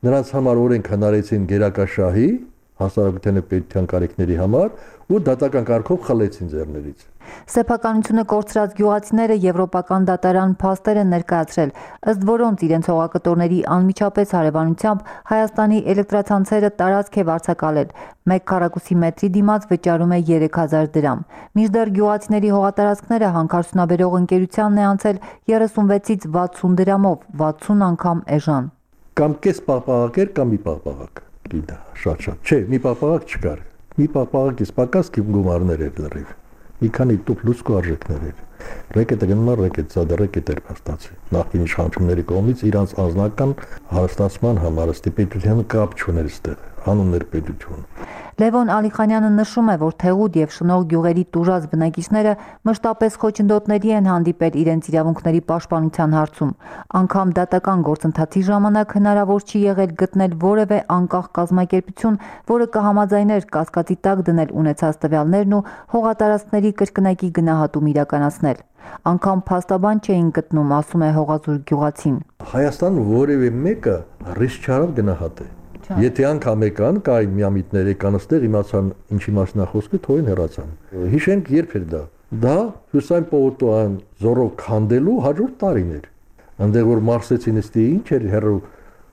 նրանց համար օրենք հնարեցին գերակաշահի հասարակության եւ պետության կարիքների համար ու դատական կարգով խլեցին ձեռներից։ Սեփականությունը կորցրած գյուղացիները եվրոպական դատարան փաստեր են ներկայացրել, ըստ որոնց իրենց հողակտորների անմիջապես հարևանությամբ Հայաստանի էլեկտրացանցերը տարածք է վարձակալել, 1 քառակուսի մետրի դիմաց վճարում է 3000 դրամ։ Մինչդեռ գյուղացիների հողատարածքները հանքարդյունաբերող ընկերությանն է անցել 36-ից 60 դրամով, 60 անգամ էժան։ Կամ կես պաղպաղակ էր, կամ մի պաղպաղակ։ Գիտա, շատ։ Չէ, մի պաղպաղակ չկար։ Մի պաղպաղակից պակաս գումարներ էր լրիվ։ Մի քանի տուփ լուցկու արժեքներ էր։ Ռեկետը գնում է ռեկետ, սա ռեկետ էր փաստացի։ Նախկին իշխանությունների կողմից իրանց անձնական հարստացման համար ստիպետության կապ չուներ այստեղ, հանուներ պետություն։ Լևոն Ալիխանյանը նշում է, որ Թեղուտ եւ Շնող գյուղերի տուժած բնակիչները մշտապես խոչընդոտների են հանդիպել իրենց իրավունքների պաշտպանության հարցում։ Անգամ դատական գործընթացի ժամանակ հնարավոր չի եղել գտնել որևէ անկախ կազմակերպություն, որը կհամաձայներ կասկածի տակ դնել ունեցած տվյալներն ու հողատարածքների կրկնակի գնահատում իրականացնել։ Անգամ փաստաբան չէին գտնում, ասում է հողազուր գյուղացին։ Հայաստան որևէ մեկը ռիսկ չարավ գնահատել։ Եթե անգամ եկան, կային միամիտներ եկան այստեղ, իմացան ինչի մասին է խոսքը, թողին հեռացան։ Հիշենք երբ էր դա։ Դա Հյուսայն Պողոտոյան զորով քանդելու հաջորդ տարին էր։ Այնտեղ որ մարսեցին էստի ինչ էր հերո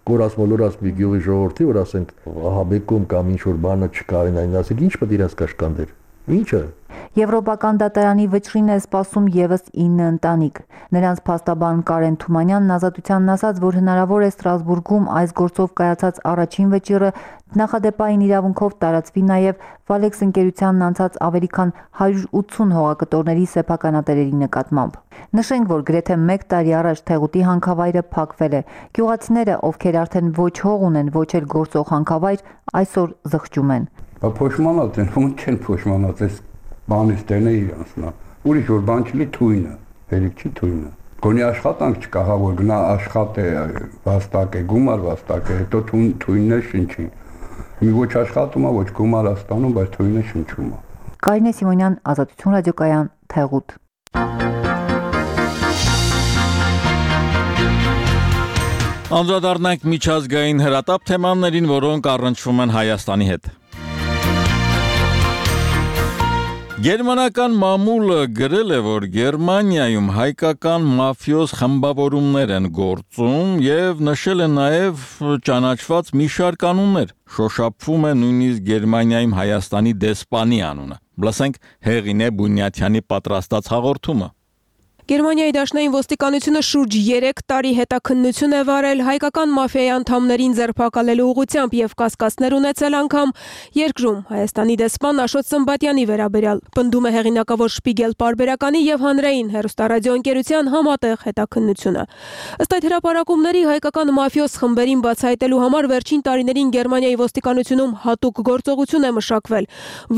կորած մոլորած մի գյուղի ժողովրդի, որ ասենք ահա բեկում կամ ինչ որ բանը չկարին այն ասենք ինչ պետք է իրաց կաշկանդեր։ Ինչը։ Եվրոպական դատարանի վճռին է սպասում եւս 9 ընտանիք։ Նրանց փաստաբան Կարեն Թումանյանն ազատությանն ասաց, որ հնարավոր է Ստրասբուրգում այս գործով կայացած առաջին վճիռը նախադեպային իրավունքով տարածվի նաեւ Վալեքս ընկերությանն անցած ավելի քան 180 հողակտորների սեփականատերերի նկատմամբ։ Նշենք, որ գրեթե 1 տարի առաջ Թեղուտի հանքավայրը փակվել է։ Գյուղացիները, ովքեր արդեն ոչ հող ունեն, ոչ էլ գործող հանքավայր, այսօր զղջում են։ Փոշմանած են, ո՞նց չեն փոշմանած, այս բանից տերն է իրանցնա։ Ուրիշ որ բան չլի թույնը, հերիք չի թույնը։ Գոնի աշխատանք չկա, հա որ գնա աշխատե, վաստակ է, գումար վաստակ է, հետո թույնն է շնչի։ Մի ոչ աշխատում է, ոչ գումար է ստանում, բայց թույնը շնչում է։ Կարինե Սիմոնյան, Ազատություն ռադիոկայան, Թեղուտ։ Անդրադառնանք միջազգային հրատապ թեմաներին, որոնք առնչվում են Հայաստանի հետ։ Գերմանական մամուլը գրել է, որ Գերմանիայում հայկական մաֆիոզ խմբավորումներ են գործում եւ նշել է նաեւ ճանաչված մի շարք անուններ։ Շոշափվում է նույնիսկ Գերմանիայում Հայաստանի դեսպանի անունը։ Լսենք Հեղինե Բունյաթյանի պատրաստած հաղորդումը։ Գերմանիայի դաշնային ոստիկանությունը շուրջ 3 տարի հետաքննություն է վարել հայկական մաֆիայի անդամներին ձերբակալելու ուղղությամբ եւ կասկածներ ունեցել անգամ երկրում Հայաստանի դեսպան Աշոտ Սմբատյանի վերաբերյալ։ Պնդում է հեղինակավոր Շպիգել պարբերականի եւ հանրային հեռուստարադիոընկերության համատեղ հետաքննությունը։ Ըստ այդ հրապարակումների հայկական մաֆիոս խմբերին բացահայտելու համար վերջին տարիներին Գերմանիայի ոստիկանությունում հատուկ գործողություն է մշակվել,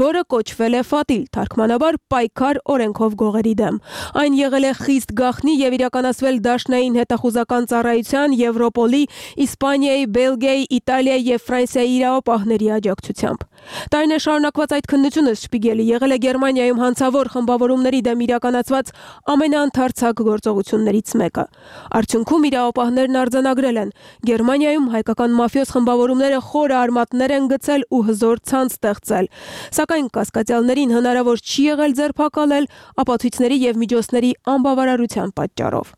որը կոչվել է Ֆատիլ, թարգմանաբար պայքար օրենքով գողերի դեմ։ Այն եղել է խիստ գաղտնի եւ իրականացվել դաշնային հետախուզական ծառայության, Եվրոպոլի, Իսպանիայի, Բելգիայի, Իտալիայի եւ Ֆրանսիայի իրավապահների աջակցությամբ։ Տարիներ շարունակված այդ քննությունը Շպիգելի եղել է Գերմանիայում հանցավոր խմբավորումների դեմ իրականացված ամենաընդարձակ գործողություններից մեկը։ Արդյունքում իրավապահներն արձանագրել են. Գերմանիայում հայկական մաֆիոս խմբավորումները խորը արմատներ են գցել ու հզոր ցանց ստեղծել, սակայն կասկածյալներին հնարավոր չի եղել ձերբակալել ապացույցների եւ միջոցների անբավարարության պատճառով։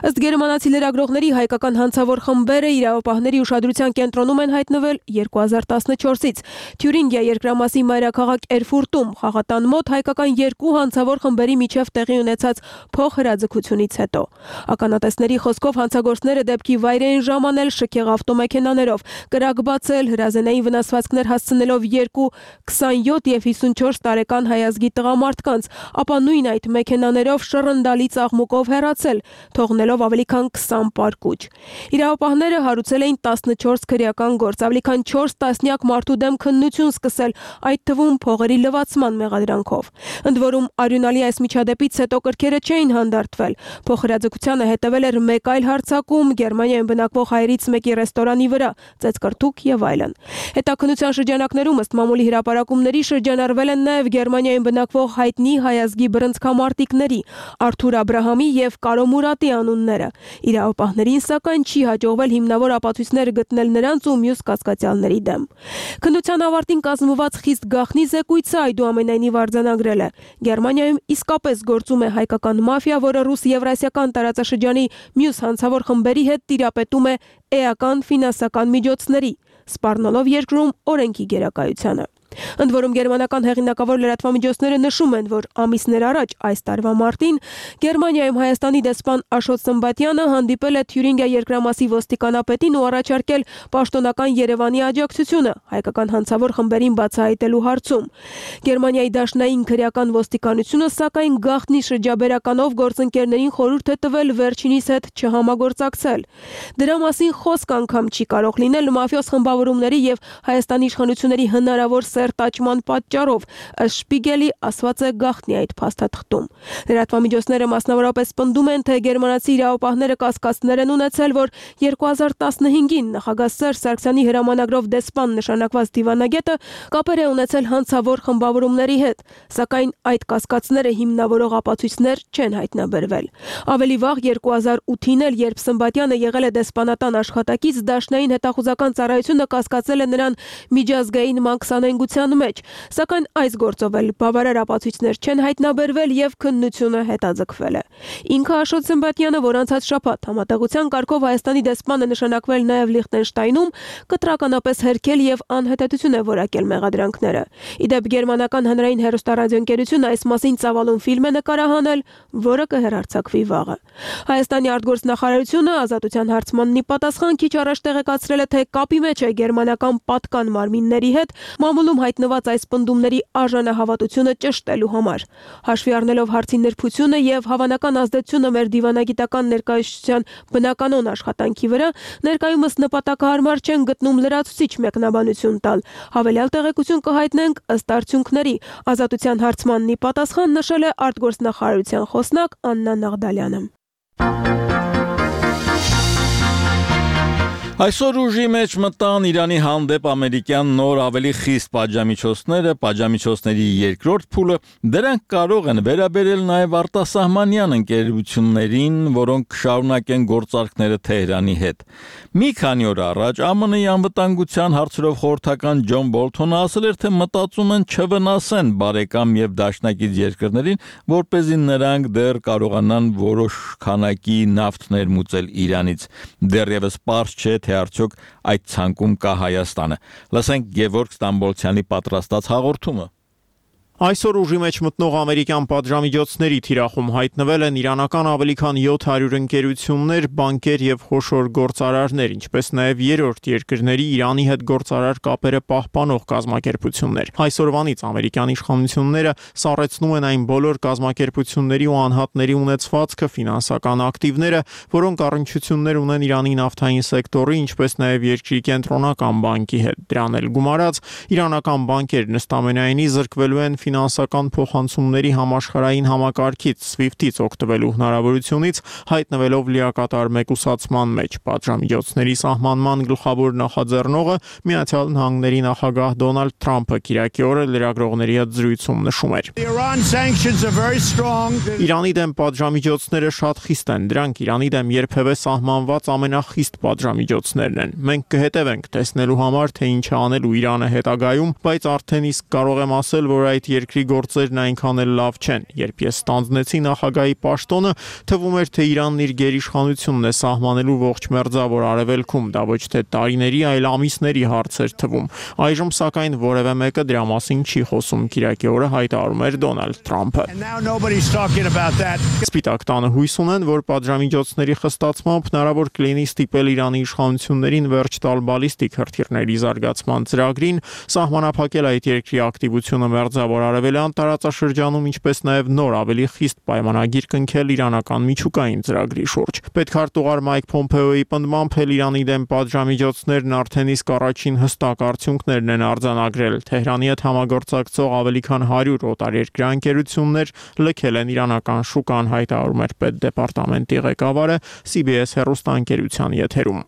Ըստ գերմանացի լրագրողների հայկական հանցավոր խմբերը իրավապահների ուշադրության կենտրոնում են հայտնվել 2014-ից Թյուրինգիա երկրամասի մայրաքաղաք Էրֆուրտում խաղատան մոտ հայկական 2 հանցավոր խմբերի միջև տեղի ունեցած փոխհրաձգությունից հետո։ Ականատեսների խոսքով հանցագործները դեպքի վայր էին ժամանել շքեղ ավտոմեքենաներով, կրակ բացել, հրազենային վնասվածքներ հասցնելով 2 27 եւ 54 տարեկան հայազգի տղամարդկանց, ապա նույն այդ մեքենաներով շռնդալի ծաղմուկով հեռացել, թողնելով ավելի քան 20 պարկուճ։ Իրավապահները հարուցել էին 14 քրեական գործ, ավելի քան 4 տասնյակ մարդու դեմ քննություն սկսել, այդ թվում փողերի լվացման մեղադրանքով։ Ընդ որում արյունալի այս միջադեպից հետո կրքերը չէին հանդարտվել։ Փոխհրաձգությանը հետևել էր մեկ այլ հարձակում Գերմանիայում բնակվող հայերից մեկի ռեստորանի վրա, ծեծկրտուք եւ այլն։ Հետաքննության շրջանակներում ըստ մամուլի հրապարակումների շրջանառվել են նաեւ Գերմանիայում բնակվող հայտնի հայազգի բռնցքամարտիկների Արթուր Աբրահամի եւ Կարո Մուրատի անունները։ Իրավապահներին սակայն չի հաջողվել հիմնավոր ապացույցներ գտնել նրանց ու մյուս կասկածյալների դեմ։ Քննության ավարտին կազմված խիստ գաղտնի զեկույցը այդուամենայնիվ արձանագրել է. Գերմանիայում իսկապես գործում է հայկական մաֆիա, որը ռուս-եվրասիական տարածաշրջանի մյուս հանցավոր խմբերի հետ տիրապետում է էական ֆինանսական միջոցների, սպառնալով երկրում օրենքի գերակայությանը։ Ընդ որում գերմանական հեղինակավոր լրատվամիջոցները նշում են, որ ամիսներ առաջ այս տարվա մարտին Գերմանիայում Հայաստանի դեսպան Աշոտ Սմբատյանը հանդիպել է Թյուրինգիա երկրամասի ոստիկանապետին ու առաջարկել պաշտոնական Երևանի աջակցությունը հայկական հանցավոր խմբերին բացահայտելու հարցում։ Գերմանիայի դաշնային քրեական ոստիկանությունը սակայն գաղտնի շրջաբերականով գործընկերներին խորհուրդ է տվել վերջինիս հետ չհամագործակցել։ Դրա մասին խոսք անգամ չի կարող լինել մաֆիոս խմբավորումների եւ Հայաստանի իշխանությունների հնարավոր տաճման պատճառով, ըստ Շպիգելի ասված է գաղտնի այդ փաստաթղթում։ Լրատվամիջոցները մասնավորապես պնդում են, թե գերմանացի իրավապահները կասկածներ են ունեցել, որ 2015-ին նախագահ Սերժ Սարգսյանի հրամանագրով դեսպան նշանակված դիվանագետը կապեր է ունեցել հանցավոր խմբավորումների հետ, սակայն այդ կասկածները հիմնավորող ապացույցներ չեն հայտնաբերվել։ Ավելի վաղ 2008-ին էլ, երբ Սմբատյանը եղել է դեսպանատան աշխատակից, Դաշնային հետախուզական ծառայությունը կասկածել է նրան միջազգային մանկսանենգության մեջ, սակայն այս գործով էլ բավարար ապացույցներ չեն հայտնաբերվել եւ քննությունը հետաձգվել է։ Ինքը Աշոտ Սմբատյանը, որ անցած շաբաթ համատեղության կարգով Հայաստանի դեսպանը նշանակվել նաեւ Լիխտենշտայնում, կտրականապես հերքել եւ անհետեցություն է որակել մեղադրանքները։ Իդեպ գերմանական հանրային հեռուստարադիոընկերությունը այս մասին ծավալուն ֆիլմ է նկարահանել, որը կհեռարձակվի վաղը։ Հայաստանի արտգործնախարարությունը ազատության հարցմանն ի պատասխան քիչ առաջ տեղեկացրել է, թե կապի մեջ է գերմանական պատկան մարմինների հետ մամուլում հայտնված այս պնդումների արժանահավատությունը ճշտելու համար։ Հաշվի առնելով հարցի նրբությունը եւ հավանական ազդեցությունը մեր դիվանագիտական ներկայացության բնականոն աշխատանքի վրա, ներկայումս նպատակահարմար չեն գտնում լրացուցիչ մեկնաբանություն տալ։ Հավելյալ տեղեկություն կհայտնենք ըստ արդյունքների։ Ազատության հարցմանն ի պատասխան նշել է արտգործնախարարության խոսնակ Աննա Նաղդալյանը։ Այսօր ուժի մեջ մտան Իրանի հանդեպ ամերիկյան նոր ավելի խիստ պատժամիջոցները, պատժամիջոցների երկրորդ փուլը, դրանք կարող են վերաբերել նաև արտասահմանյան ընկերություններին, որոնք կշարունակեն գործարքները Թեհրանի հետ։ Մի քանի օր առաջ ԱՄՆ-ի անվտանգության հարցերով խորհրդական Ջոն Բոլթոնը ասել էր, թե մտածում են չվնասեն բարեկամ եւ դաշնակից երկրներին, որպեսզի նրանք դեռ կարողանան որոշ քանակի նավթ ներմուծել Իրանից։ Դեռևս պարզ չէ, թե արդյոք այդ ցանկում կա Հայաստանը։ Լսենք Գևորգ Ստամբոլցյանի պատրաստած հաղորդումը։ Այսօր ուժի մեջ մտնող ամերիկյան պատժամիջոցների թիրախում հայտնվել են իրանական ավելի քան 700 ընկերություններ, բանկեր եւ խոշոր գործարարներ, ինչպես նաեւ երրորդ երկրների Իրանի հետ գործարար կապերը պահպանող կազմակերպություններ։ Այսօրվանից ամերիկյան իշխանությունները սառեցնում են այն բոլոր կազմակերպությունների ու անհատների ունեցվածքը, ֆինանսական ակտիվները, որոնք առնչություններ ունեն Իրանի նավթային սեկտորի, ինչպես նաեւ երկրի կենտրոնական բանկի հետ։ Դրան էլ գումարած իրանական բանկերն ըստամենայնի զրկվելու են ֆինանսական փոխանցումների համաշխարհային համակարգից SWIFT-ից օգտվելու հնարավորությունից, հայտնվելով լիակատար մեկուսացման մեջ։ Պատժամիջոցների սահմանման գլխավոր նախաձեռնողը Միացյալ Նահանգների նախագահ Դոնալդ Թրամփը կիրակի օրը լրագրողների հետ զրույցում նշում էր. Իրանի դեմ պատժամիջոցները շատ խիստ են, դրանք Իրանի դեմ երբևէ սահմանված ամենախիստ պատժամիջոցներն են։ Մենք կհետևենք տեսնելու համար, թե ինչ է անելու Իրանը հետագայում, բայց արդեն իսկ կարող եմ ասել, որ այդ երկրի գործերն այնքան էլ լավ չեն։ Երբ ես ստանձնեցի նախագահի պաշտոնը, թվում էր, թե Իրանն իր գերիշխանությունն է սահմանելու ողջ մերձավոր արևելքում, դա ոչ թե տարիների, այլ ամիսների հարց էր թվում։ Այժմ սակայն որևէ մեկը դրա մասին չի խոսում, կիրակի օրը հայտարարում էր Դոնալդ Թրամփը։ Սպիտակ տանը հույս ունեն, որ պատժամիջոցների խստացմամբ հնարավոր կլինի ստիպել Իրանի իշխանություններին վերջ տալ բալիստիկ հրթիռների զարգացման ծրագրին, սահմանափակել այդ երկրի ակտիվությունը մերձավոր արևելյան տարածաշրջանում, ինչպես նաև նոր ավելի խիստ պայմանագիր կնքել իրանական միջուկային ծրագրի շուրջ։ Պետքարտուղար Մայք Փոմպեոյի պնդմամբ Իրանի դեմ պատժամիջոցներն արդեն իսկ առաջին հստակ արդյունքներն են արձանագրել։ Թեհրանի հետ համագործակցող ավելի քան 100 օտարերկրյա ընկերություններ լքել են իրանական շուկան, հայտարարում էր պետդեպարտամենտի ղեկավարը CBS հեռուստաընկերության եթերում։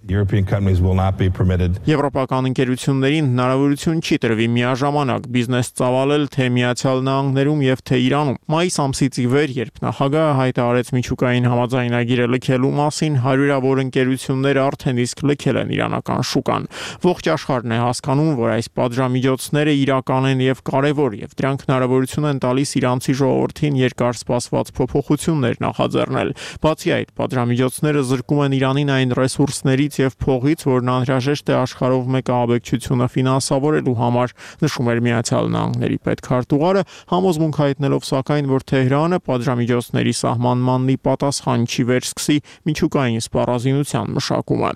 Եվրոպական ընկերություններին հնարավորություն չի տրվի միաժամանակ բիզնես ծավալել թե Միացյալ Նահանգներում եւ թե Իրանում։ Մայիս ամսից ի վեր, երբ նախագահը հայտարարեց միջուկային համաձայնագիրը լքելու մասին, հարյուրավոր ընկերություններ արդեն իսկ լքել են իրանական շուկան։ Ողջ աշխարհն է հասկանում, որ այս պատժամիջոցները իրական են եւ կարեւոր, եւ դրանք հնարավորություն են տալիս իրանցի ժողովրդին երկար սպասված փոփոխություններ նախաձեռնել։ Բացի այդ, պատժամիջոցները զրկում են Իրանին այն ռեսուրսներից եւ փողից, որն անհրաժեշտ է աշխարհով մեկ աբեկչությունը ֆինանսավորելու համար, նշում էր Միացյալ Նահանգների պետքարտուղարը, համոզմունք հայտնելով սակայն, որ Թեհրանը պատժամիջոցների սահմանմանն ի պատասխան չի վերսկսի միջուկային սպառազինության մշակումը։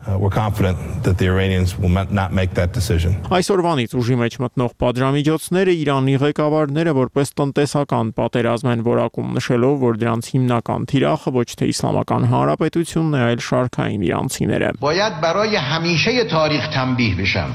Այսօրվանից ուժի մեջ մտնող պատժամիջոցները Իրանի ղեկավարները որպես տնտեսական պատերազմ են որակում, նշելով, որ դրանց հիմնական թիրախը ոչ թե Իսլամական Հանրապետությունն է, այլ շարքային իրանցիները։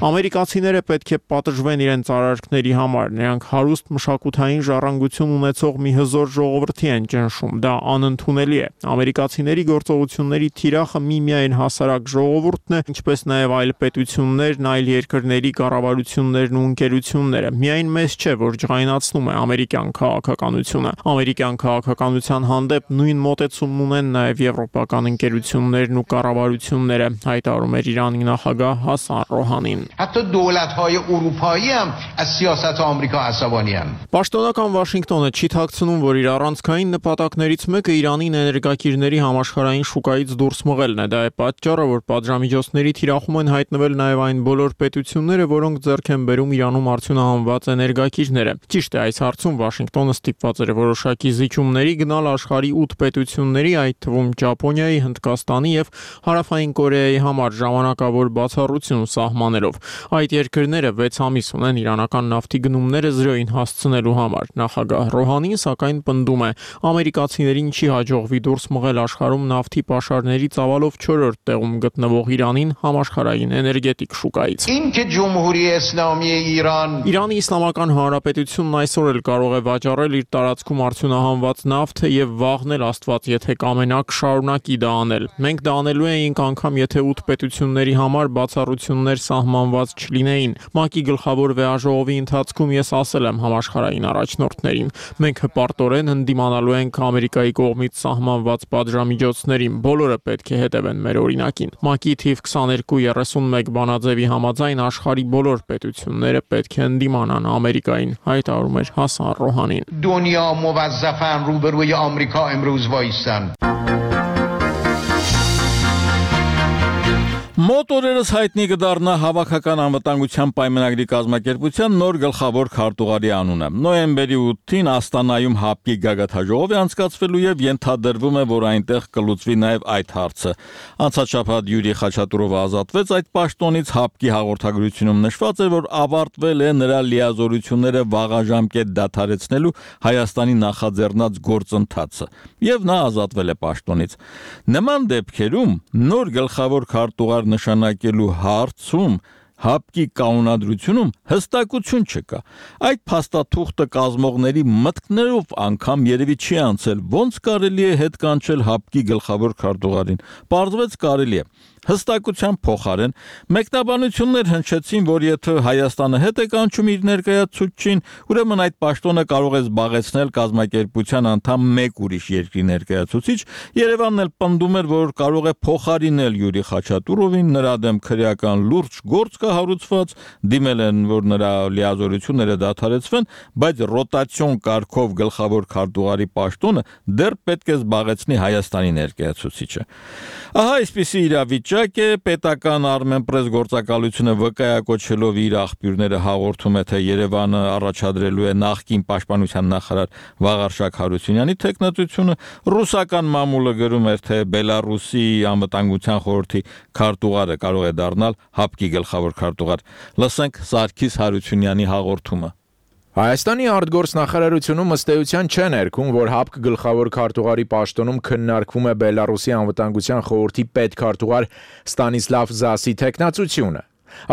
Ամերիկացիները պետք է պատժվեն իրենց արարքների համար, նրանք հարուստ մշակութային ժառանգություն ունեցող մի հզոր ժողովրդի են ճնշում, դա անընդունելի է։ Ամերիկացիների գործողությունների թիրախը միմիայն հասարակ ժողովուրդն է, ինչպես նաև այլ պետություններն, այլ երկրների կառավարություններն ու ընկերությունները։ Միայն մեզ չէ, որ ջղայնացնում է ամերիկյան քաղաքականությունը։ Ամերիկյան քաղաքականության հանդեպ նույն մոտեցումն ունեն նաև եվրոպական ընկերություններն ու կառավարությունները, հայտարարում էր Իրանի նախագահ Հասան Ռոհանին։ Պաշտոնական Վաշինգտոնը չի թաքցնում, որ իր առանցքային նպատակներից մեկը Իրանին էներգակիրների համաշխարհային շուկայից դուրս մղելն է։ Դա է պատճառը, որ պատժամիջոցների թիրախում են հայտնվել նաև այն բոլոր պետությունները, որոնք ձեռք են բերում Իրանում արդյունահանված էներգակիրները։ Ճիշտ է, այս հարցում Վաշինգտոնը ստիպված էր որոշակի զիջումների գնալ աշխարհի 8 պետությունների, այդ թվում Ճապոնիայի, Հնդկաստանի եւ Հարավային Կորեայի համար ժամանակավոր բացառություն սահմանելով։ Այդ երկրները 6 ամիս ունեն իրանական նավթի գնումները 0-ին հասցնելու համար։ Նախագահ Ռոհանին սակայն պնդում է, ամերիկացիներին չի հաջողվի դուրս մղել աշխարհում նավթի պաշարների ծավալով 4-րդ տեղում գտնվող Իրանին համաշխարհային էներգետիկ շուկայից։ Իրանի Իսլամական Հանրապետությունն այսօր էլ կարող է վաճառել իր տարածքում արդյունահանված նավթը եւ վաղն էլ Աստված եթե կամենակ շարունակի դա անել։ Մենք դա անելու էինք անգամ եթե 8 պետությունների համար բացառություններ սահմանված չլինեին։ ՄԱԿ-ի գլխավոր վեաժողովի ընթացքում ես ասել եմ համաշխարհային առաջնորդներին, մենք հպարտորեն հանդիմանալու ենք Ամերիկայի կողմից սահմանված պատժամիջոցներին, բոլորը պետք է հետևեն մեր օրինակին։ ՄԱԿ-ի թիվ 2231 բանաձևի համաձայն աշխարհի բոլոր պետությունները պետք է հանդիմանան Ամերիկային, հայտարարում էր Հասան Ռոհանին։ دنیا موظفن روبروی آمریکا امروز وایسن. Մոտ օրերս հայտնի կդառնա Հավաքական անվտանգության պայմանագրի կազմակերպության նոր գլխավոր քարտուղարի անունը։ Նոյեմբերի 8-ին Աստանայում ՀԱՊԿ-ի գագաթնաժողով է անցկացվելու եւ ենթադրվում է, որ այնտեղ կլուծվի նաեւ այդ հարցը։ Անցած շաբաթ Յուրի Խաչատուրովը ազատվեց այդ պաշտոնից, ՀԱՊԿ-ի հաղորդագրությունում նշված է, որ ավարտվել է նրա լիազորությունները վաղաժամկետ դադարեցնելու Հայաստանի նախաձեռնած գործընթացը եւ նա ազատվել է պաշտոնից։ Նման դեպքերում նոր գլխավոր քարտուղար նշանակելու հարցում ՀԱՊԿ-ի կանոնադրությունում հստակություն չկա։ Այդ փաստաթուղթը կազմողների մտքներով անգամ երևի չի անցել, ոնց կարելի է հետ կանչել ՀԱՊԿ-ի գլխավոր քարտուղարին։ Պարզվեց կարելի է։ Հստակության փոխարեն մեկնաբանություններ հնչեցին, որ եթե Հայաստանը հետ է կանչում իր ներկայացուցչին, ուրեմն այդ պաշտոնը կարող է զբաղեցնել կազմակերպության անդամ մեկ ուրիշ երկրի ներկայացուցիչ։ Երևանն էլ պնդում էր, որ կարող է փոխարինել Յուրի Խաչատուրովին, նրա դեմ քրեական լուրջ գործ կա հարուցված, դիմել են, որ նրա լիազորությունները դադարեցվեն, բայց ռոտացիոն կարգով գլխավոր քարտուղարի պաշտոնը դեռ պետք է զբաղեցնի Հայաստանի ներկայացուցիչը։ Ահա այսպիսի իրավիճակ է, պետական Armenpress գործակալությունը վկայակոչելով իր աղբյուրները հաղորդում է, թե Երևանը առաջադրելու է նախկին պաշտպանության նախարար Վաղարշակ Հարությունյանի թեկնածությունը, ռուսական մամուլը գրում էր, թե Բելարուսի անվտանգության խորհրդի քարտուղարը կարող է դառնալ ՀԱՊԿ-ի գլխավոր քարտուղար։ Լսենք Սարգիս Հարությունյանի հաղորդումը։ Հայաստանի արտգործնախարարությունում ըստ էության չեն ներքում, որ ՀԱՊԿ գլխավոր քարտուղարի պաշտոնում քննարկվում է Բելարուսի անվտանգության խորհրդի պետքարտուղար Ստանիսլավ Զասի թեկնածությունը։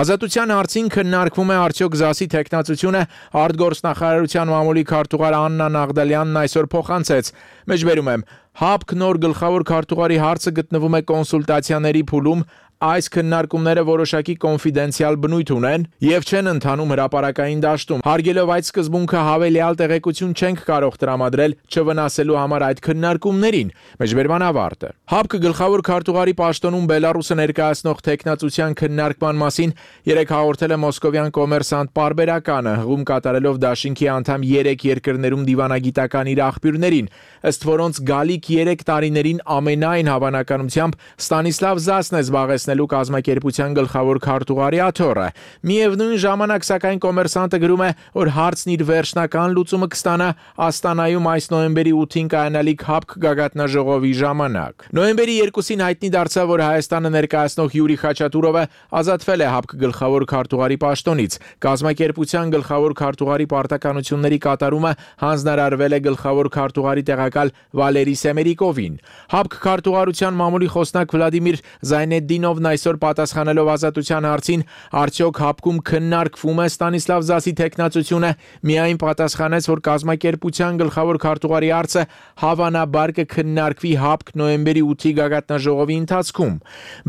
Ազատության հարցին քննարկվում է արդյոք Զասի թեկնածությունը արտգործնախարարության մամուլի քարտուղար Աննա Նաղդալյանն այսօր փոխանցեց։ Մեջբերում եմ, ՀԱՊԿ նոր գլխավոր քարտուղարի հարցը գտնվում է կոնսուլտացիաների փուլում, այս քննարկումները որոշակի կոնֆիդենցիալ բնույթ ունեն եւ չեն ընթանում հրապարակային դաշտում։ Հարգելով այդ սկզբունքը հավելյալ տեղեկություն չենք կարող տրամադրել չվնասելու համար այդ քննարկումներին։ Մեջբերման ավարտը։ ՀԱՊԿ գլխավոր քարտուղարի պաշտոնում Բելարուսը ներկայացնող տեխնացության քննարկման մասին երեք հաղորդել է մոսկովյան կոմերսանտ պարբերականը, հղում կատարելով դաշինքի անդամ 3 երկրներում դիվանագիտական իր աղբյուրներին, ըստ որոնց գալիք 3 տարիներին ամենայն հավանականությամբ Ստանիսլավ Զասն է զբաղեցնելու կազմակերպության գլխավոր քարտուղարի աթոռը։ Միևնույն ժամանակ, սակայն, կոմերսանտը գրում է, որ հարցն իր վերջնական լուծումը կստանա Աստանայում այս նոյեմբերի 8-ին կայանալիք ՀԱՊԿ գագաթնաժողովի ժամանակ։ Նոյեմբերի 2-ին հայտնի դարձավ, որ Հայաստանը ներկայացնող Յուրի Խաչատուրովը ազատվել է ՀԱՊԿ գլխավոր քարտուղարի պաշտոնից։ Կազմակերպության գլխավոր քարտուղարի պարտականությունների կատարումը հանձնարարվել է գլխավոր քարտուղարի տեղակալ Վալերի Սեմերիկովին։ ՀԱՊԿ քարտուղարության մամուլի խոսնակ Վլադիմիր Զայնեդդինովն այսօր պատասխանելով ազատության հարցին, արդյոք ՀԱՊԿ-ում քննարկվում է Ստանիսլավ Զասի թեկնածությունը, միայն պատասխանեց, որ կազմակերպության գլխավոր քարտուղարի հարցը հավանաբար կքննարկվի ՀԱՊԿ նոյեմբերի 8-ի գագաթնաժողովի ընթացքում։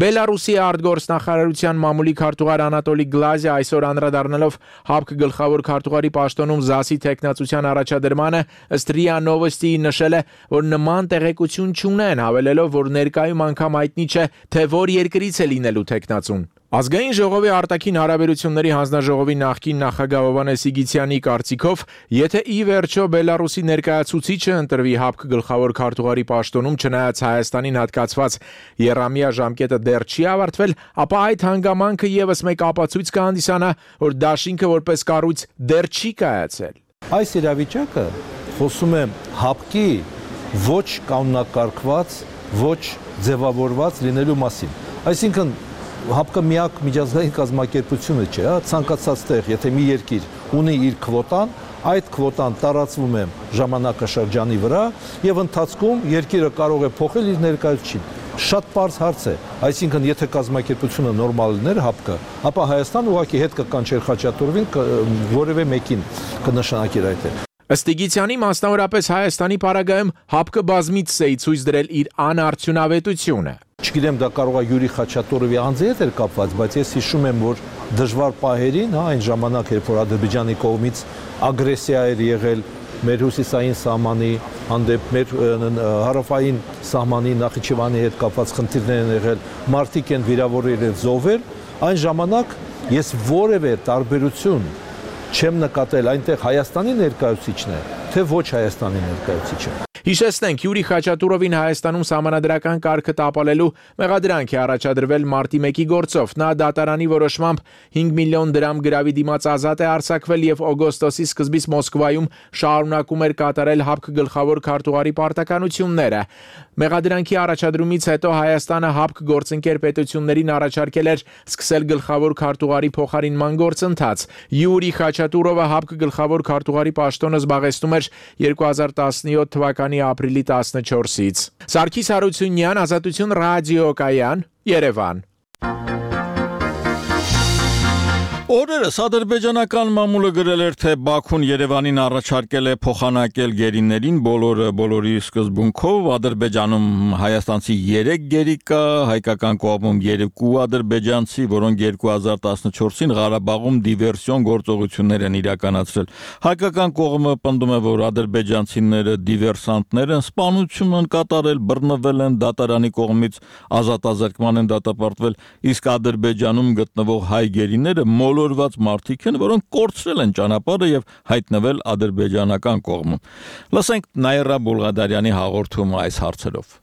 Բելարուսի արտգործնախարարության մամուլի քարտուղար Անատոլի Գլազիա այսօր անդրադառնալով ՀԱՊԿ գլխավոր քարտուղարի պաշտոնում Զասի թեկնածության առաջադրմանը, ըստ ՌԻԱ Նովոստիի նշել է, որ նման տեղեկություն չունեն, հավելելով, որ ներկայում անգամ հայտնի չէ, թե որ երկրից է լինելու թեկնածուն։ Ազգային ժողովի արտաքին հարաբերությունների հանձնաժողովի նախկին նախագահ Հովհաննես Իգիթյանի կարծիքով, եթե ի վերջո Բելարուսի ներկայացուցիչը ընտրվի ՀԱՊԿ գլխավոր քարտուղարի պաշտոնում, չնայած Հայաստանին հատկացված եռամյա ժամկետը դեռ չի ավարտվել, ապա այդ հանգամանքը եւս մեկ ապացույց կհանդիսանա, որ դաշինքը որպես կառույց դեռ չի կայացել։ Այս իրավիճակը խոսում է ՀԱՊԿ-ի ոչ կանոնակարգված, ոչ ձևավորված լինելու մասին։ Այսինքն ՀԱՊԿ-ը միակ միջազգային կազմակերպությունը չէ, ցանկացած տեղ, եթե մի երկիր ունի իր քվոտան, այդ քվոտան տարածվում է ժամանակաշրջանի վրա եւ ընթացքում երկիրը կարող է փոխել իր ներկայացուցիչին։ Շատ պարզ հարց է, այսինքն եթե կազմակերպությունը նորմալ լիներ ՀԱՊԿ-ը, ապա Հայաստան ուղղակի հետ կկանչեր Խաչատուրովին, որևէ մեկին կնշանակեր այդ։ Ըստ Իգիթյանի, մասնավորապես Հայաստանի պարագայում ՀԱՊԿ-ը բազմիցս է ցույց դրել իր անարդյունավետությունը։ Չգիտեմ, դա կարող է Յուրի Խաչատուրովի անձի հետ էր կապված, բայց ես հիշում եմ, որ դժվար պահերին, այն ժամանակ, երբ որ Ադրբեջանի կողմից ագրեսիա էր եղել մեր հյուսիսային սահմանի հանդեպ, մեր հարավային սահմանի Նախիջևանի հետ կապված խնդիրներ են եղել, մարդիկ են վիրավորել եւ զոհվել, այն ժամանակ ես որևէ տարբերություն չեմ նկատել այնտեղ Հայաստանի ներկայացուցիչն է, թե ոչ Հայաստանի ներկայացուցիչը։ Հիշեցնենք, Յուրի Խաչատուրովին Հայաստանում սահմանադրական կարգը տապալելու մեղադրանք է առաջադրվել մարտի 1-ի գործով։ Նա դատարանի որոշմամբ 5 միլիոն դրամ գրավի դիմաց ազատ է արձակվել եւ օգոստոսի սկզբից Մոսկվայում շարունակում էր կատարել ՀԱՊԿ գլխավոր քարտուղարի պարտականությունները։ Մեղադրանքի առաջադրումից հետո Հայաստանը ՀԱՊԿ գործընկեր պետություններին առաջարկել էր սկսել գլխավոր քարտուղարի փոխարինման գործընթաց։ Յուրի Խաչատուրովը ՀԱՊԿ գլխավոր քարտուղարի պաշտոնը զբաղեցնում էր 2017 թվականի ապրիլի 14-ից։ Սարգիս Հարությունյան, Ազատություն ռադիոկայան, Երևան։ Օրերս ադրբեջանական մամուլը գրել էր, թե Բաքուն Երևանին առաջարկել է փոխանակել գերիներին բոլորի սկզբունքով։ Ադրբեջանում հայաստանցի 3 գերի կա, հայկական կողմում 2 ադրբեջանցի, որոնք 2014-ին Ղարաբաղում դիվերսիոն գործողություններ են իրականացրել։ Հայկական կողմը պնդում է, որ ադրբեջանցիները դիվերսանտներ են, սպանություն են կատարել, բռնվել են, դատարանի կողմից ազատազրկման են դատապարտվել, իսկ Ադրբեջանում գտնվող հայ գերիները մոլորված մարդիկ են, որոնք կորցրել են ճանապարհը եւ հայտնվել ադրբեջանական կողմում։ Լսենք Նաիրա Բուլղադարյանի հաղորդումը այս հարցերով։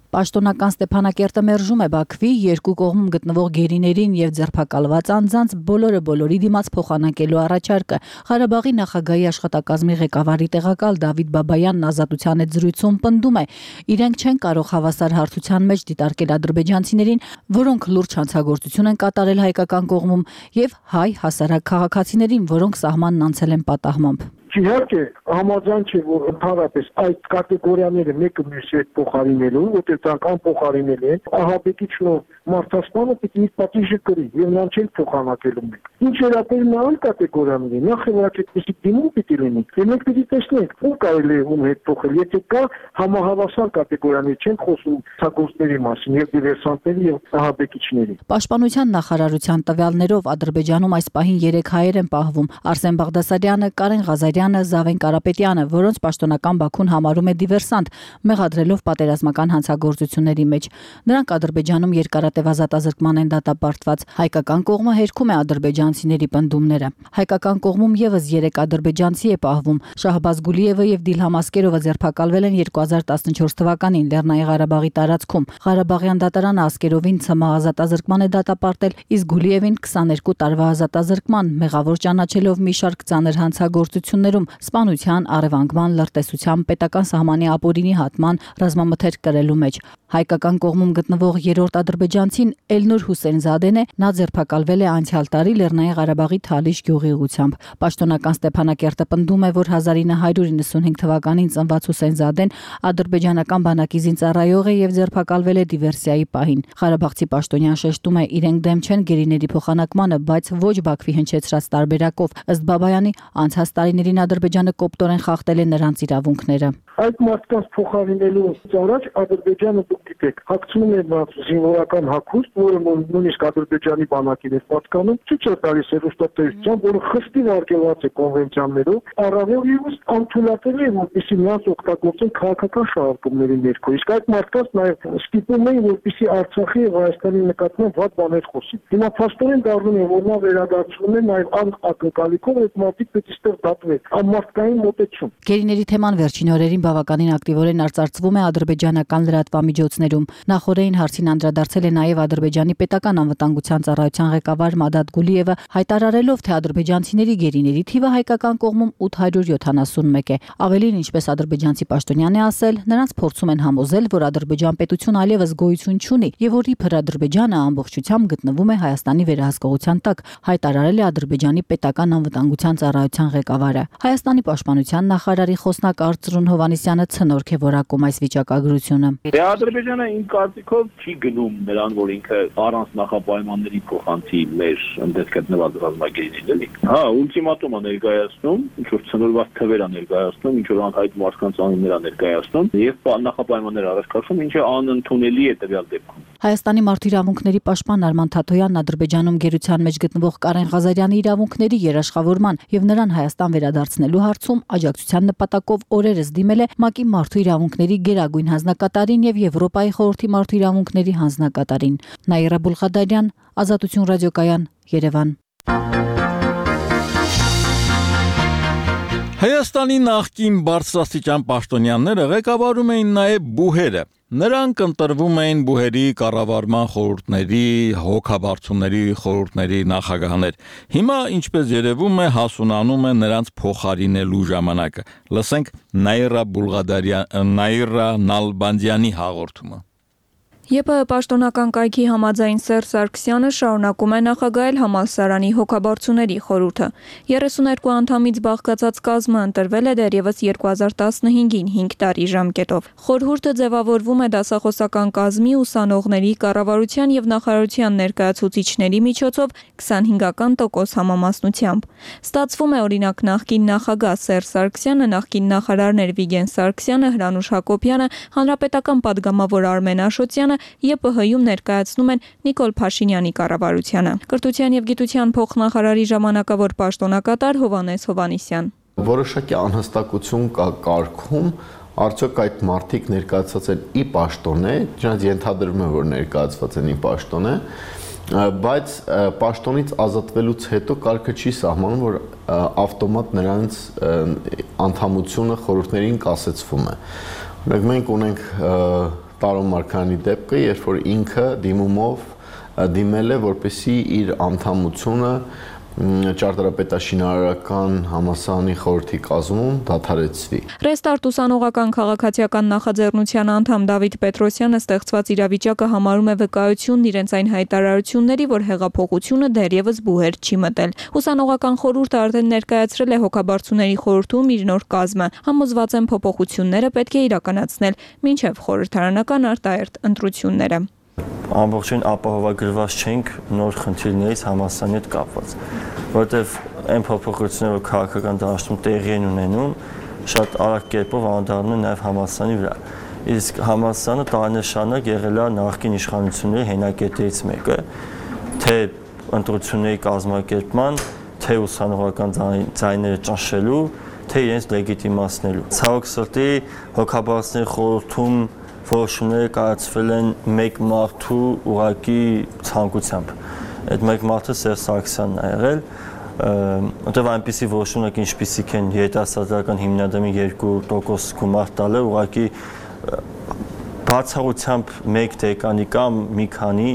Պաշտոնական Ստեփանակերտը մերժում է Բաքվի երկու կողմում գտնվող գերիներին եւ ձերբակալված անձանց բոլորի դիմաց փոխանակելու առաջարկը։ Ղարաբաղի նախագահի աշխատակազմի ղեկավարի տեղակալ Դավիթ Բաբայանն Ազատության հետ զրույցում պնդում է, իրենք չեն կարող հավասար հարթության մեջ դիտարկել ադրբեջանցիներին, որոնք լուրջ հանցագործություն են կատարել հայկական կողմում, եւ հայ հասարակ քաղաքացիներին, որոնք սահմանն անցել են պատահմամբ։ Իհարկե, համաձայն չէ, որ ընդհանրապես այդ կատեգորիաները մեկը մյուսի հետ փոխարինելու, որտեղ դրանք անփոխարինելի են, ահաբեկիչնով մարդասպանը պիտի իր պատիժը կրի, եւ նրան չեն փոխանակելու մեկ։ Ինչ վերաբերում է այլ կատեգորիաների, նախ եւ առաջ այդպիսի դիմում պիտի լինի, եւ մենք պիտի տեսնենք, ում կարելի է ում հետ փոխել, եթե կա համահավասար կատեգորիաներ, չեն խոսում ցակոստների մասին, եւ դիվերսանտների եւ ահաբեկիչների։ Պաշտպանության նախարարության տվյալներով Ադրբեջանում այս պահին 3 հայեր են պահվում՝ Արսեն Բաղդասարյանը, Կարեն Ղազարյանը, Զավեն Կարապետյանը, որոնց պաշտոնական Բաքուն համարում է դիվերսանտ, մեղադրելով պատերազմական հանցագործությունների մեջ։ Նրանք Ադրբեջանում երկարատև ազատազրկման են դատապարտված։ Հայկական կողմը հերքում է ադրբեջանցիների պնդումները։ Հայկական կողմում եւս 3 ադրբեջանցի է պահվում։ Շահբազ Գուլիևը եւ Դիլհամ Ասկերովը ձերբակալվել են 2014 թվականին Լեռնային Ղարաբաղի տարածքում։ Ղարաբաղյան դատարանը Ասկերովին ՑՄ ազատազրկման է դատապարտել, իսկ Գուլիևին 22 տարվա ազատազրկման, մեղավոր ճանաչելով մի շարք ծանր հանցագործություններում, սպանության, առևանգման, լրտեսության, պետական սահմանի ապօրինի հատման, ռազմամթերք կրելու մեջ։ Հայկական կողմում գտնվող 3-րդ ադրբեջանցին Էլնուր Հուսեյնզադեն է, նա ձերբակալվել է անցյալ տարի Լեռնային Ղարաբաղի Թալիշ գյուղի ուղությամբ։ Պաշտոնական Ստեփանակերտը պնդում է, որ 1995 թվականին ծնված Հուսեյնզադեն ադրբեջանական բանակի զինծառայող է եւ ձերբակալվել է դիվերսիայի պահին։ Ղարաբաղցի պաշտոնյան շեշտում է, իրենք դեմ չեն գերիների փոխանակմանը, բայց ոչ Բաքվի հնչեցրած տարբերակով։ Ըստ Բաբայանի, անցած տարիներին Ադրբեջանը կոպտորեն խախտել է նրանց իրավունքները։ Այդ մարդկանց փոխարինելուց առաջ Ադրբեջանը դուք գիտեք, հագցնում է նրանց զինվորական հագուստ, որը նույնիսկ Ադրբեջանի բանակին է պատկանում, ցույց է տալիս հեռուստատեսության, որը խստի վարկելված է կոնվենցիաներով, առավել ևս անթույլատրելի է, որպեսզի նրանց օգտագործեն քաղաքական շահարկումների ներքո։ Իսկ այդ մարդկանց նաև ստիպում են, որպեսզի Արցախի եւ Հայաստանի նկատմամբ վատ բաներ խոսեն։ Հիմա փաստորեն դառնում է, որ նա վերադարձնում է նաև ակնկալիքով, այդ մարդիկ պետք է ստեղ դատվեն, անմարդկային մոտեցում։ Գերիների թեման վերջին օրերին բավականին ակտիվորեն արծարծվում է ադրբեջանական լրատվամիջոցներում։ Նախորդին հարցին անդրադարձել է նաև Ադրբեջանի պետական անվտանգության ծառայության ղեկավար Մադադ Գուլիևը, հայտարարելով, թե ադրբեջանցիների գերիների թիվը հայկական կողմում 871 է։ Ավելին, ինչպես ադրբեջանցի պաշտոնյան է ասել, նրանց փորձում են համոզել, որ Ադրբեջան պետություն այլևս գոյություն չունի եւ որ իբր Ադրբեջանը ամբողջությամբ գտնվում է Հայաստանի վերահսկողության տակ, հայտարարել է Ադրբեջանի պետական անվտանգության ծառայության ղեկավարը։ Հայաստանի պաշտպանության նախարարի խոսնակ Արծրուն Հովհաննիսյանը ցնորք է որակում այս վիճակագրությունը։ Ադրբեջանը իմ կարծիքով չի գնում նրան, որ ինքը առանց նախապայմանների փոխանցի մեր ընդդեմ գտնված ռազմագերիներին, էլի։ Հա, ուլտիմատում է ներկայացնում, ինչ որ ցնորված թվեր է ներկայացնում, ինչ որ անհայտ մարդկանց անուններ է ներկայացնում եւ նախապայմաններ առաջ քաշում, ինչը անընդունելի է տվյալ դեպքում։ Հայաստանի մարդու իրավունքների պաշտպան Արման Թաթոյանն Ադրբեջանում գերության մեջ գտնվող Կարեն Ղազարյանի իրավունքների երաշխավորման եւ նրան Հայաստան վերադարձնելու հարցում աջակցության նպատակով օրերս դիմել է ՄԱԿ-ի մարդու իրավունքների գերագույն հանձնակատարին եւ Եվրոպայի խորհրդի մարդու իրավունքների հանձնակատարին։ Նաիրա Բուլղադարյան, Ազատություն ռադիոկայան, Երևան։ Հայաստանի նախկին բարձրաստիճան պաշտոնյաները ղեկավարում էին նաև բուհերը։ Նրանք ընտրվում էին բուհերի կառավարման խորհուրդների, հոգաբարձուների խորհուրդների նախագահներ։ Հիմա, ինչպես երևում է, հասունանում է նրանց փոխարինելու ժամանակը։ Լսենք Նաիրա Նալբանդյանի հաղորդումը։ ԵՊՀ պաշտոնական կայքի համաձայն Սերժ Սարգսյանը շարունակում է նախագահել համալսարանի հոգաբարձուների խորհուրդը։ 32 անդամից բաղկացած կազմը ընտրվել է դեռևս 2015-ին 5 տարի ժամկետով։ Խորհուրդը ձևավորվում է դասախոսական կազմի, ուսանողների, կառավարության եւ նախարարության ներկայացուցիչների միջոցով 25% համամասնությամբ։ Ստացվում է, օրինակ, նախկին նախագահ Սերժ Սարգսյանը, նախկին նախարարներ Վիգեն Սարգսյանը, Հրանուշ Հակոբյանը, հանրապետական պատգամավոր Արմեն Աշոտյանը ԵՊՀ-ում ներկայացնում են Նիկոլ Փաշինյանի կառավարությանը։ Կրթության եւ գիտության փոխնախարարի ժամանակավոր պաշտոնակատար Հովհաննես Հովհաննիսյան։ Որոշակի անհստակություն կա կարգում, արդյոք այդ մարդիկ ներկայացած են ի պաշտոն է, դրանց ենթադրվում է, որ ներկայացված են ի պաշտոն է, բայց պաշտոնից ազատվելուց հետո կարգը չի սահմանում, որ ավտոմատ նրանց անդամությունը խորհուրդներին կասեցվում է։ Օրինակ մենք ունենք Տարոն Մարգարյանի դեպքը, երբ որ ինքը դիմումով դիմել է, որպեսզի իր անդամությունը ճարտարապետաշինարարական համալսարանի խորհրդի կազմում դադարեցվի։ Ռեստարտ ուսանողական քաղաքացիական նախաձեռնության անդամ Դավիթ Պետրոսյանը ստեղծված իրավիճակը համարում է վկայությունն իրենց այն հայտարարությունների, որ հեղափոխությունը դեռևս բուհեր չի մտել։ Ուսանողական խորհուրդը արդեն ներկայացրել է հոգաբարձուների խորհրդում իր նոր կազմը։ Համոզված են փոփոխությունները պետք է իրականացնել մինչև խորհրդարանական արտահերթ ընտրությունները։ Ամբողջովին ապահովագրված չենք նոր խնդիրներից համալսարանի հետ կապված, որովհետև այն փոփոխությունները, որ քաղաքական դաշտում տեղի են ունենում, շատ արագ կերպով անդրադառնում են նաև համալսարանի վրա։ Իսկ համալսարանը տարիներ շարունակ եղել է նախկին իշխանությունների հենակետերից մեկը, թե ընտրությունների կազմակերպման, թե ուսանողական ձայները ճնշելու, թե իրենց լեգիտիմացնելու։ Ցավոք սրտի հոգաբարձուների խորհրդում որոշումները կայացվել են մեկ մարդու ուղղակի ցանկությամբ։ Այդ մեկ մարդը Սերժ Սարգսյանն է եղել, որտեղ այնպիսի որոշումներ, ինչպիսիք են երիտասարդական հիմնադրամի 2% գումար տալը, ուղղակի բացառությամբ մեկ դեկանի կամ մի քանի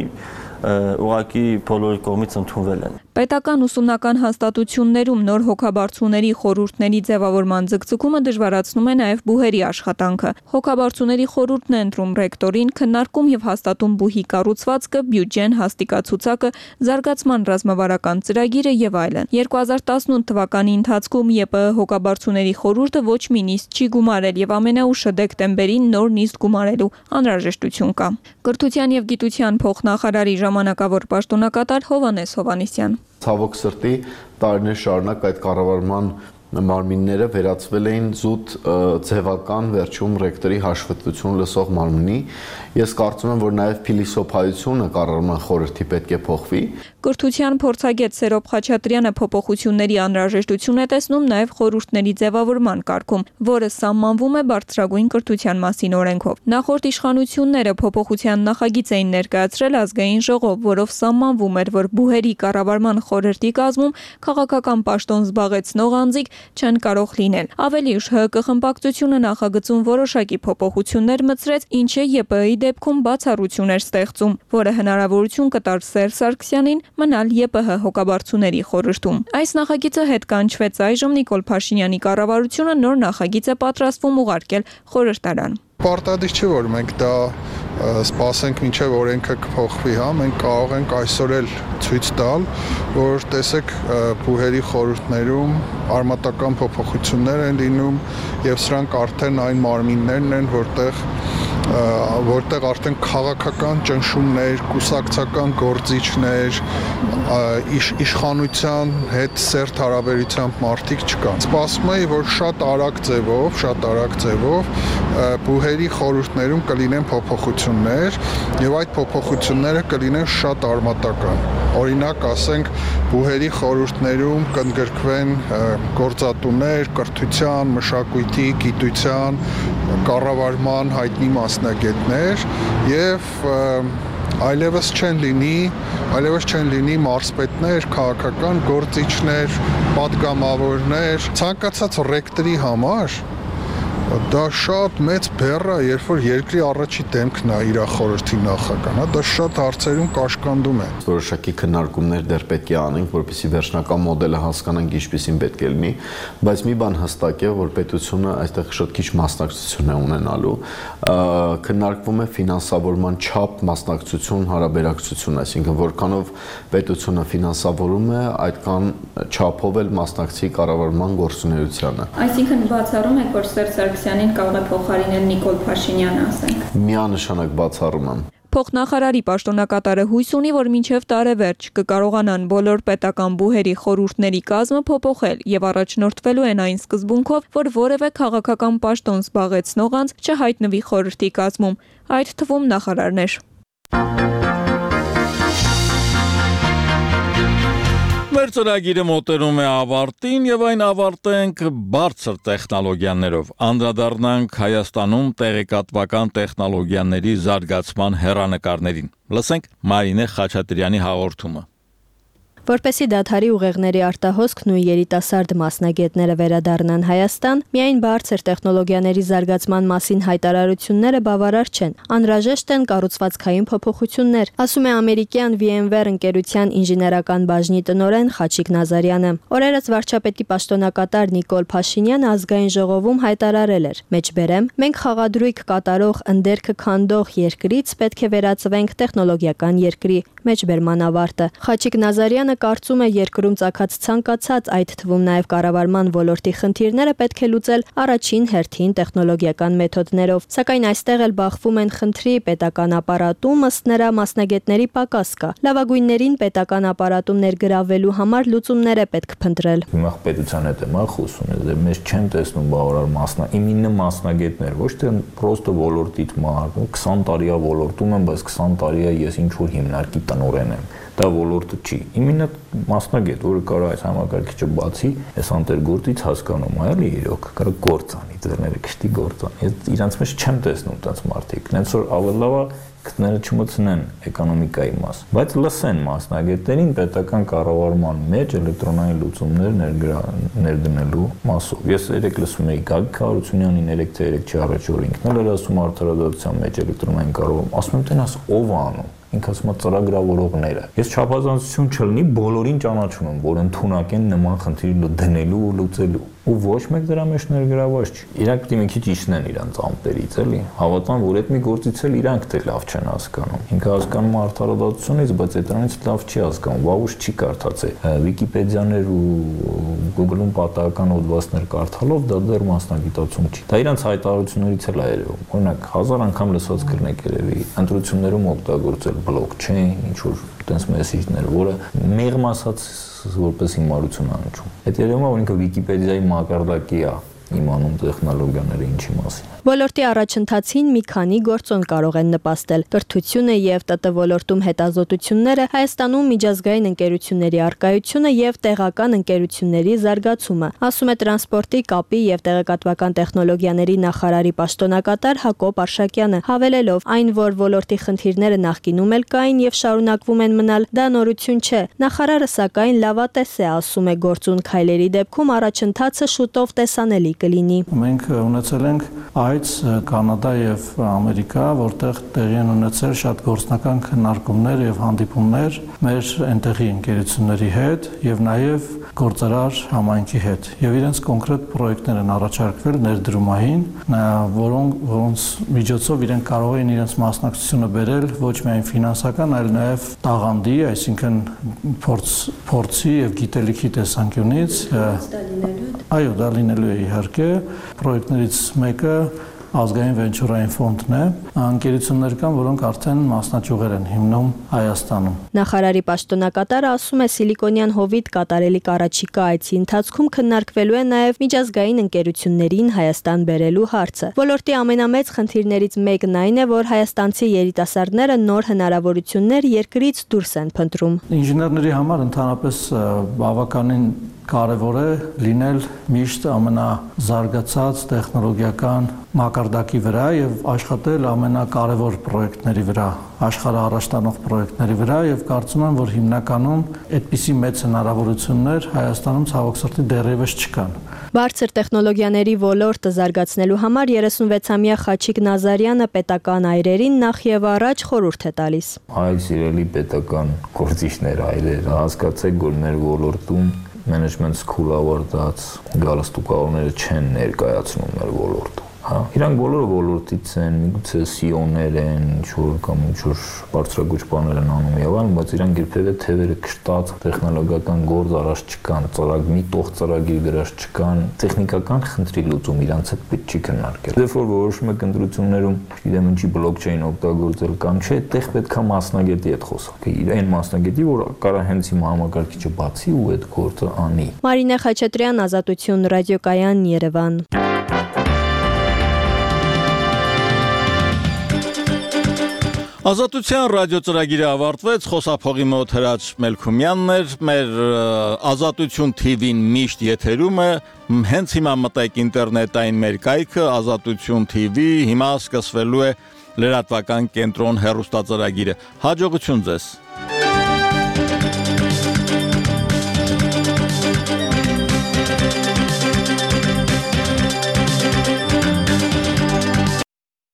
ուղղակի բոլորի կողմից ընդունվել են։ Պետական ուսումնական հաստատություններում նոր հոգաբարձուների խորհուրդների ձևավորման ձգձգումը դժվարացնում է նաև բուհերի աշխատանքը։ Հոգաբարձուների խորհուրդն է ընտրում ռեկտորին, քննարկում եւ հաստատում բուհի կառուցվածքը, բյուջեն, հաստիկացուցակը, զարգացման ռազմավարական ծրագիրը եւ այլն։ 2018 թվականի ընթացքում ԵՊՀ հոգաբարձուների խորհուրդը ոչ մի նիստ չի գումարել եւ ամենաուշը դեկտեմբերին նոր նիստ գումարելու անհրաժեշտություն կա։ Կրթության եւ գիտության փոխնախարարի ժամանակավոր պաշտոնակատար Հովհաննես Հովհաննիսյան։ Ցավոք սրտի տարիներ շարունակ այդ կառավարման մարմինները վերածվել էին զուտ ձևական վերջում ռեկտորի հաշվետվություն լսող մարմնի։ Ես կարծում եմ, որ նաև փիլիսոփայությունը կառավարման խորհրդի պետք է փոխվի։ Կրթության փորձագետ Սերոբ Խաչատրյանը փոփոխությունների անհրաժեշտություն է տեսնում նաև խորհուրդների ձևավորման կարգում, որը սահմանվում է բարձրագույն կրթության մասին օրենքով։ Նախորդ իշխանությունները փոփոխության նախագիծ էին ներկայացրել ազգային ժողով, որով սահմանվում էր, որ բուհերի կառավարման խորհրդի կազմում քաղաքական պաշտոն զբաղեցնող անձիկ չեն կարող լինել։ Ավելի ուշ ՀԿ խմբակցությունը նախագծում որոշակի փոփոխություններ մտցրեց, ինչը ԵՊՀ-ի դեպքում բացառություն էր ստեղծում, որը հնարավորություն կտար Սերժ Սարգսյանին մնալ ԵՊՀ հոգաբարձուների խորհրդում։ Այս նախագիծը հետ կանչվեց այժմ Նիկոլ Փաշինյանի կառավարությունը նոր նախագիծ է պատրաստվում ուղարկել խորհրդարան։ Պարտադիր չէ, որ մենք դա սպասենք մինչև օրենքը կփոխվի, հա, մենք կարող ենք այսօր էլ ցույց տալ, որ տեսեք բուհերի խորհուրդներում արմատական փոփոխություններ են լինում եւ սրանք արդեն այն մարմիններն են, որտեղ արդեն քաղաքական ճնշումներ, կուսակցական գործիչներ, իշխանության հետ սերտ հարաբերությամբ մարդիկ չկան։ Սպասում է, որ շատ արագ ձևով բուհերի խորհուրդներում կլինեն փոփոխություններ եւ այդ փոփոխությունները կլինեն շատ արմատական։ Օրինակ, ասենք, բուհերի խորհուրդներում կընդգրկվեն գործատուներ, կրթության, մշակույթի, գիտության, կառավարման հայտնի մասնագետներ եւ այլևս չեն լինի մարզպետներ, քաղաքական գործիչներ, պատգամավորներ, ցանկացած ռեկտորի համար դա շատ մեծ բեռ է, երբ որ երկրի առաջի դեմքն է իր խորհրդի նախագահան, դա շատ հարցերում կաշկանդում է։ Որոշակի քննարկումներ դեռ պետք է անենք, որպեսզի վերջնական մոդելը հասկանանք ինչպեսին պետք է լինի, բայց մի բան հստակ է, որ պետությունը այստեղ շատ քիչ մասնակցություն է ունենալու։ Քննարկվում է ֆինանսավորման չափ, մասնակցություն, հարաբերակցություն, այսինքն որքանով պետությունը ֆինանսավորում է, այդքան չափով էլ մասնակցի կառավարման գործունեությանը։ Այսինքն բացառում եք, որ Սերժ Սարգսյանին կարող է փոխարինել Նիկոլ Փաշինյանը, ասենք։ Միանշանակ բացառում եմ։ Փոխնախարարի պաշտոնակատարը հույս ունի, որ մինչև տարեվերջ կկարողանան բոլոր պետական բուհերի խորհուրդների կազմը փոփոխել եւ առաջնորդվելու են այն սկզբունքով, որ որևէ քաղաքական պաշտոն զբաղեցնող անձ չհայտնվի խորհրդի կազմում, այդ թվում նախարարներ։ Մեր ծրագիրը մոտենում է ավարտին եւ այն ավարտենք բարձր տեխնոլոգիաներով։ Անդրադառնանք Հայաստանում տեղեկատվական տեխնոլոգիաների զարգացման հեռանկարներին։ Լսենք Մարինե Խաչատրյանի հաղորդումը։ Որպեսզի դադարի ուղեղների արտահոսքն ու երիտասարդ մասնագետները վերադառնան Հայաստան, միայն բարձր տեխնոլոգիաների զարգացման մասին հայտարարությունները բավարար չեն, անհրաժեշտ են կառուցվածքային փոփոխություններ, ասում է ամերիկյան VMware ընկերության ինժեներական բաժնի տնօրեն Խաչիկ Նազարյանը։ Օրերս վարչապետի պաշտոնակատար Նիկոլ Փաշինյանը ազգային ժողովում հայտարարել էր. «Մեջբերեմ, մենք խաղադրույք կատարող ընդերքը քանդող երկրից պետք է վերածվենք տեխնոլոգիական երկրի»։ Մեջբերման ավարտը։ Խաչիկ Նազարյանը կարծում է երկրում ծագած ցանկացած, այդ թվում նաև կառավարման ոլորտի խնդիրները պետք է լուծել առաջին հերթին տեխնոլոգիական մեթոդներով, սակայն այստեղ էլ բախվում են խնդրի պետական ապարատում, ըստ նրա մասնագետների պակաս կա։ Լավագույններին պետական ապարատում ներգրավելու համար լուծումներ է պետք փնտրել։ Հիմա պետության հետ եմ խոսում, մեզ չեն տեսնում բավարար իմ 9 մասնագետներ, ոչ թե պրոստը ոլորտից մարդ, 20 տարի է ոլորտում եմ, բայց 20 տարի է ես ինչ որ հիմնարկի տնօրեն եմ։ Դա ոլորտը չի։ Իմինը մասնագետ, որը կարող է այս համակարգիչը բացի, այս անտերգործից հասկանում է, էլի իրոք, կարող գործ անի, դերները կշտի գործ անի։ Ես իրանց մեջ չեմ տեսնում տենց մարդիկ։ Նենց որ ավելի լավ է գտները չմտցնեն էկոնոմիկայի մաս, բայց լսեն մասնագետներին պետական կառավարման մեջ էլեկտրոնային լուծումներ ներդնելու մասով։ Ես երեք լսում էի Գագիկ Հարությունյանին, 3 թե 3 չի առաջ օր ինքն էլ ասում արդարադատության մեջ էլեկտրոնային կառավարում, ասում եմ տենաս ով է անում։ Ինքը ասում է ծրագրավորողները։ Ես չափազանցություն չլինի, բոլորին ճանաչում եմ, որ ընդունակ են նման խնդիրը դնելու ու լուծելու։ Ու ոչ մեկ դրա մեջ ներգրաված չի։ Իրանք դե մի քիչ իջնեն իրանց ամպերից, էլի։ Հավատան, որ այդ մի գործից էլ իրանք դե լավ չեն հասկանում։ Ինքը հասկանում է արդարադատությունից, բայց այդրանից լավ չի հասկանում, վաղուց չի կարդացել։ Վիկիպեդիաներ ու Google-ում պատահական հոդվածներ կարդալով դա դեռ մասնագիտացում չի։ Դա իրանց հայտարարություններից էլ է երևում։ Օրինակ 1000 անգամ լսած կրնեք երևի ընտրություններում օգտագործել blockchain, ինչ որ տենց մեսիջներ, որը մեղմ ասած որպես հիմարություն անջում։ Այդ երևում է, որ ինքը Վիկիպեդիայի մակարդակի է իմանում տեխնոլոգիաները ինչի մասին։ Ոլորտի առաջընթացին մի քանի գործոն կարող են նպաստել։ Կրթությունը եւ ՏՏ ոլորտում հետազոտությունները, Հայաստանում միջազգային ընկերությունների առկայությունը եւ տեղական ընկերությունների զարգացումը, ասում է տրանսպորտի, կապի եւ տեղեկատվական տեխնոլոգիաների նախարարի պաշտոնակատար Հակոբ Արշակյանը, հավելելով այն, որ ոլորտի խնդիրները նախկինում էլ կային եւ շարունակվում են մնալ, դա նորություն չէ։ Նախարարը սակայն լավատես է, ասում է գործուն քայլերի դեպքում առաջընթացը շուտով տեսանելի կլինի։ Մենք ունեցել ենք Կանադա եւ Ամերիկա, որտեղ տեղի են ունեցել շատ գործնական քննարկումներ եւ հանդիպումներ մեր այնտեղի ընկերությունների հետ եւ նաեւ գործարար համայնքի հետ եւ իրենց կոնկրետ պրոյեկտներ են առաջարկվել ներդրումային, որոնց միջոցով իրենք կարող են իրենց մասնակցությունը բերել ոչ միայն ֆինանսական, այլ նաեւ տաղանդի, այսինքն փորձի եւ գիտելիքի տեսանկյունից։ Այո, դա լինելու է իհարկե։ Պրոյեկտներից մեկը ազգային վենչուրային ֆոնդն է, ընկերություններ կան, որոնք արդեն մասնաճյուղեր են հիմնում Հայաստանում։ Նախարարի պաշտոնակատարը ասում է Սիլիկոնյան հովիտ կատարելի առաջիկա այցի ընթացքում քննարկվելու է նաև միջազգային ընկերություններին Հայաստան բերելու հարցը։ Ոլորտի ամենամեծ խնդիրներից մեկն այն է, որ հայաստանցի երիտասարդները նոր հնարավորություններ երկրից դուրս են փնտրում։ Ինժեներների համար ընդհանրապես բավականին կարևոր է լինել միշտ ամենազարգացած տեխնոլոգիական մակարդակի վրա եւ աշխատել ամենակարևոր պրոյեկտների վրա, աշխարհը առաջ տանող պրոյեկտների վրա եւ կարծում եմ, որ հիմնականում այդպիսի մեծ հնարավորություններ Հայաստանում ցավոք սրտի դեռևս չկան։ Բարձր տեխնոլոգիաների ոլորտը զարգացնելու համար 36-ամյա Խաչիկ Նազարյանը պետական այրերին նախ եւ առաջ խորհուրդ է տալիս։ Այ սիրելի պետական գործիչներ, այրեր, հասկացեք, որ մեր ոլորտում management school ավարտած գալստուկավորները չեն ներկայացնում մեր ոլորտում։ Հա, իրանք բոլորը ոլորտից են, միգուցե CEO-ներ են, ինչ-որ կամ ինչ-որ բարձրագույն բաներ են անում եւ այլն, բայց իրանք երբեւե թևերը կշտած տեխնոլոգիական գործ արած չկան, ծրագրի տող ծրագիր գրած չկան, տեխնիկական խնդրի լուծում իրանց հետ պետք չի քննարկել։ Դեռ որ որոշում եք ընտրություններում, գիտեմ ինչի բլոկչեյն օգտագործել կամ չէ, այդտեղ պետքա մասնագետի հետ խոսալ։ Այն մասնագետի, որ կարա հենց հիմա համակարգիչը բացի ու այդ գործը անի։ Մարինե Խաչատրյան, Ազատություն ռադիոկայան, Երևան։ Ազատության ռադիոծրագիրը ավարտվեց, խոսափողի մոտ Հրաչ Մելքումյանն էր, մեր Ազատություն TV-ն միշտ եթերում է, հենց հիմա մտեք ինտերնետային մեր կայքը Ազատություն TV, հիմա սկսվելու է լրատվական կենտրոն հեռուստածրագիրը։ Հաջողություն ձեզ։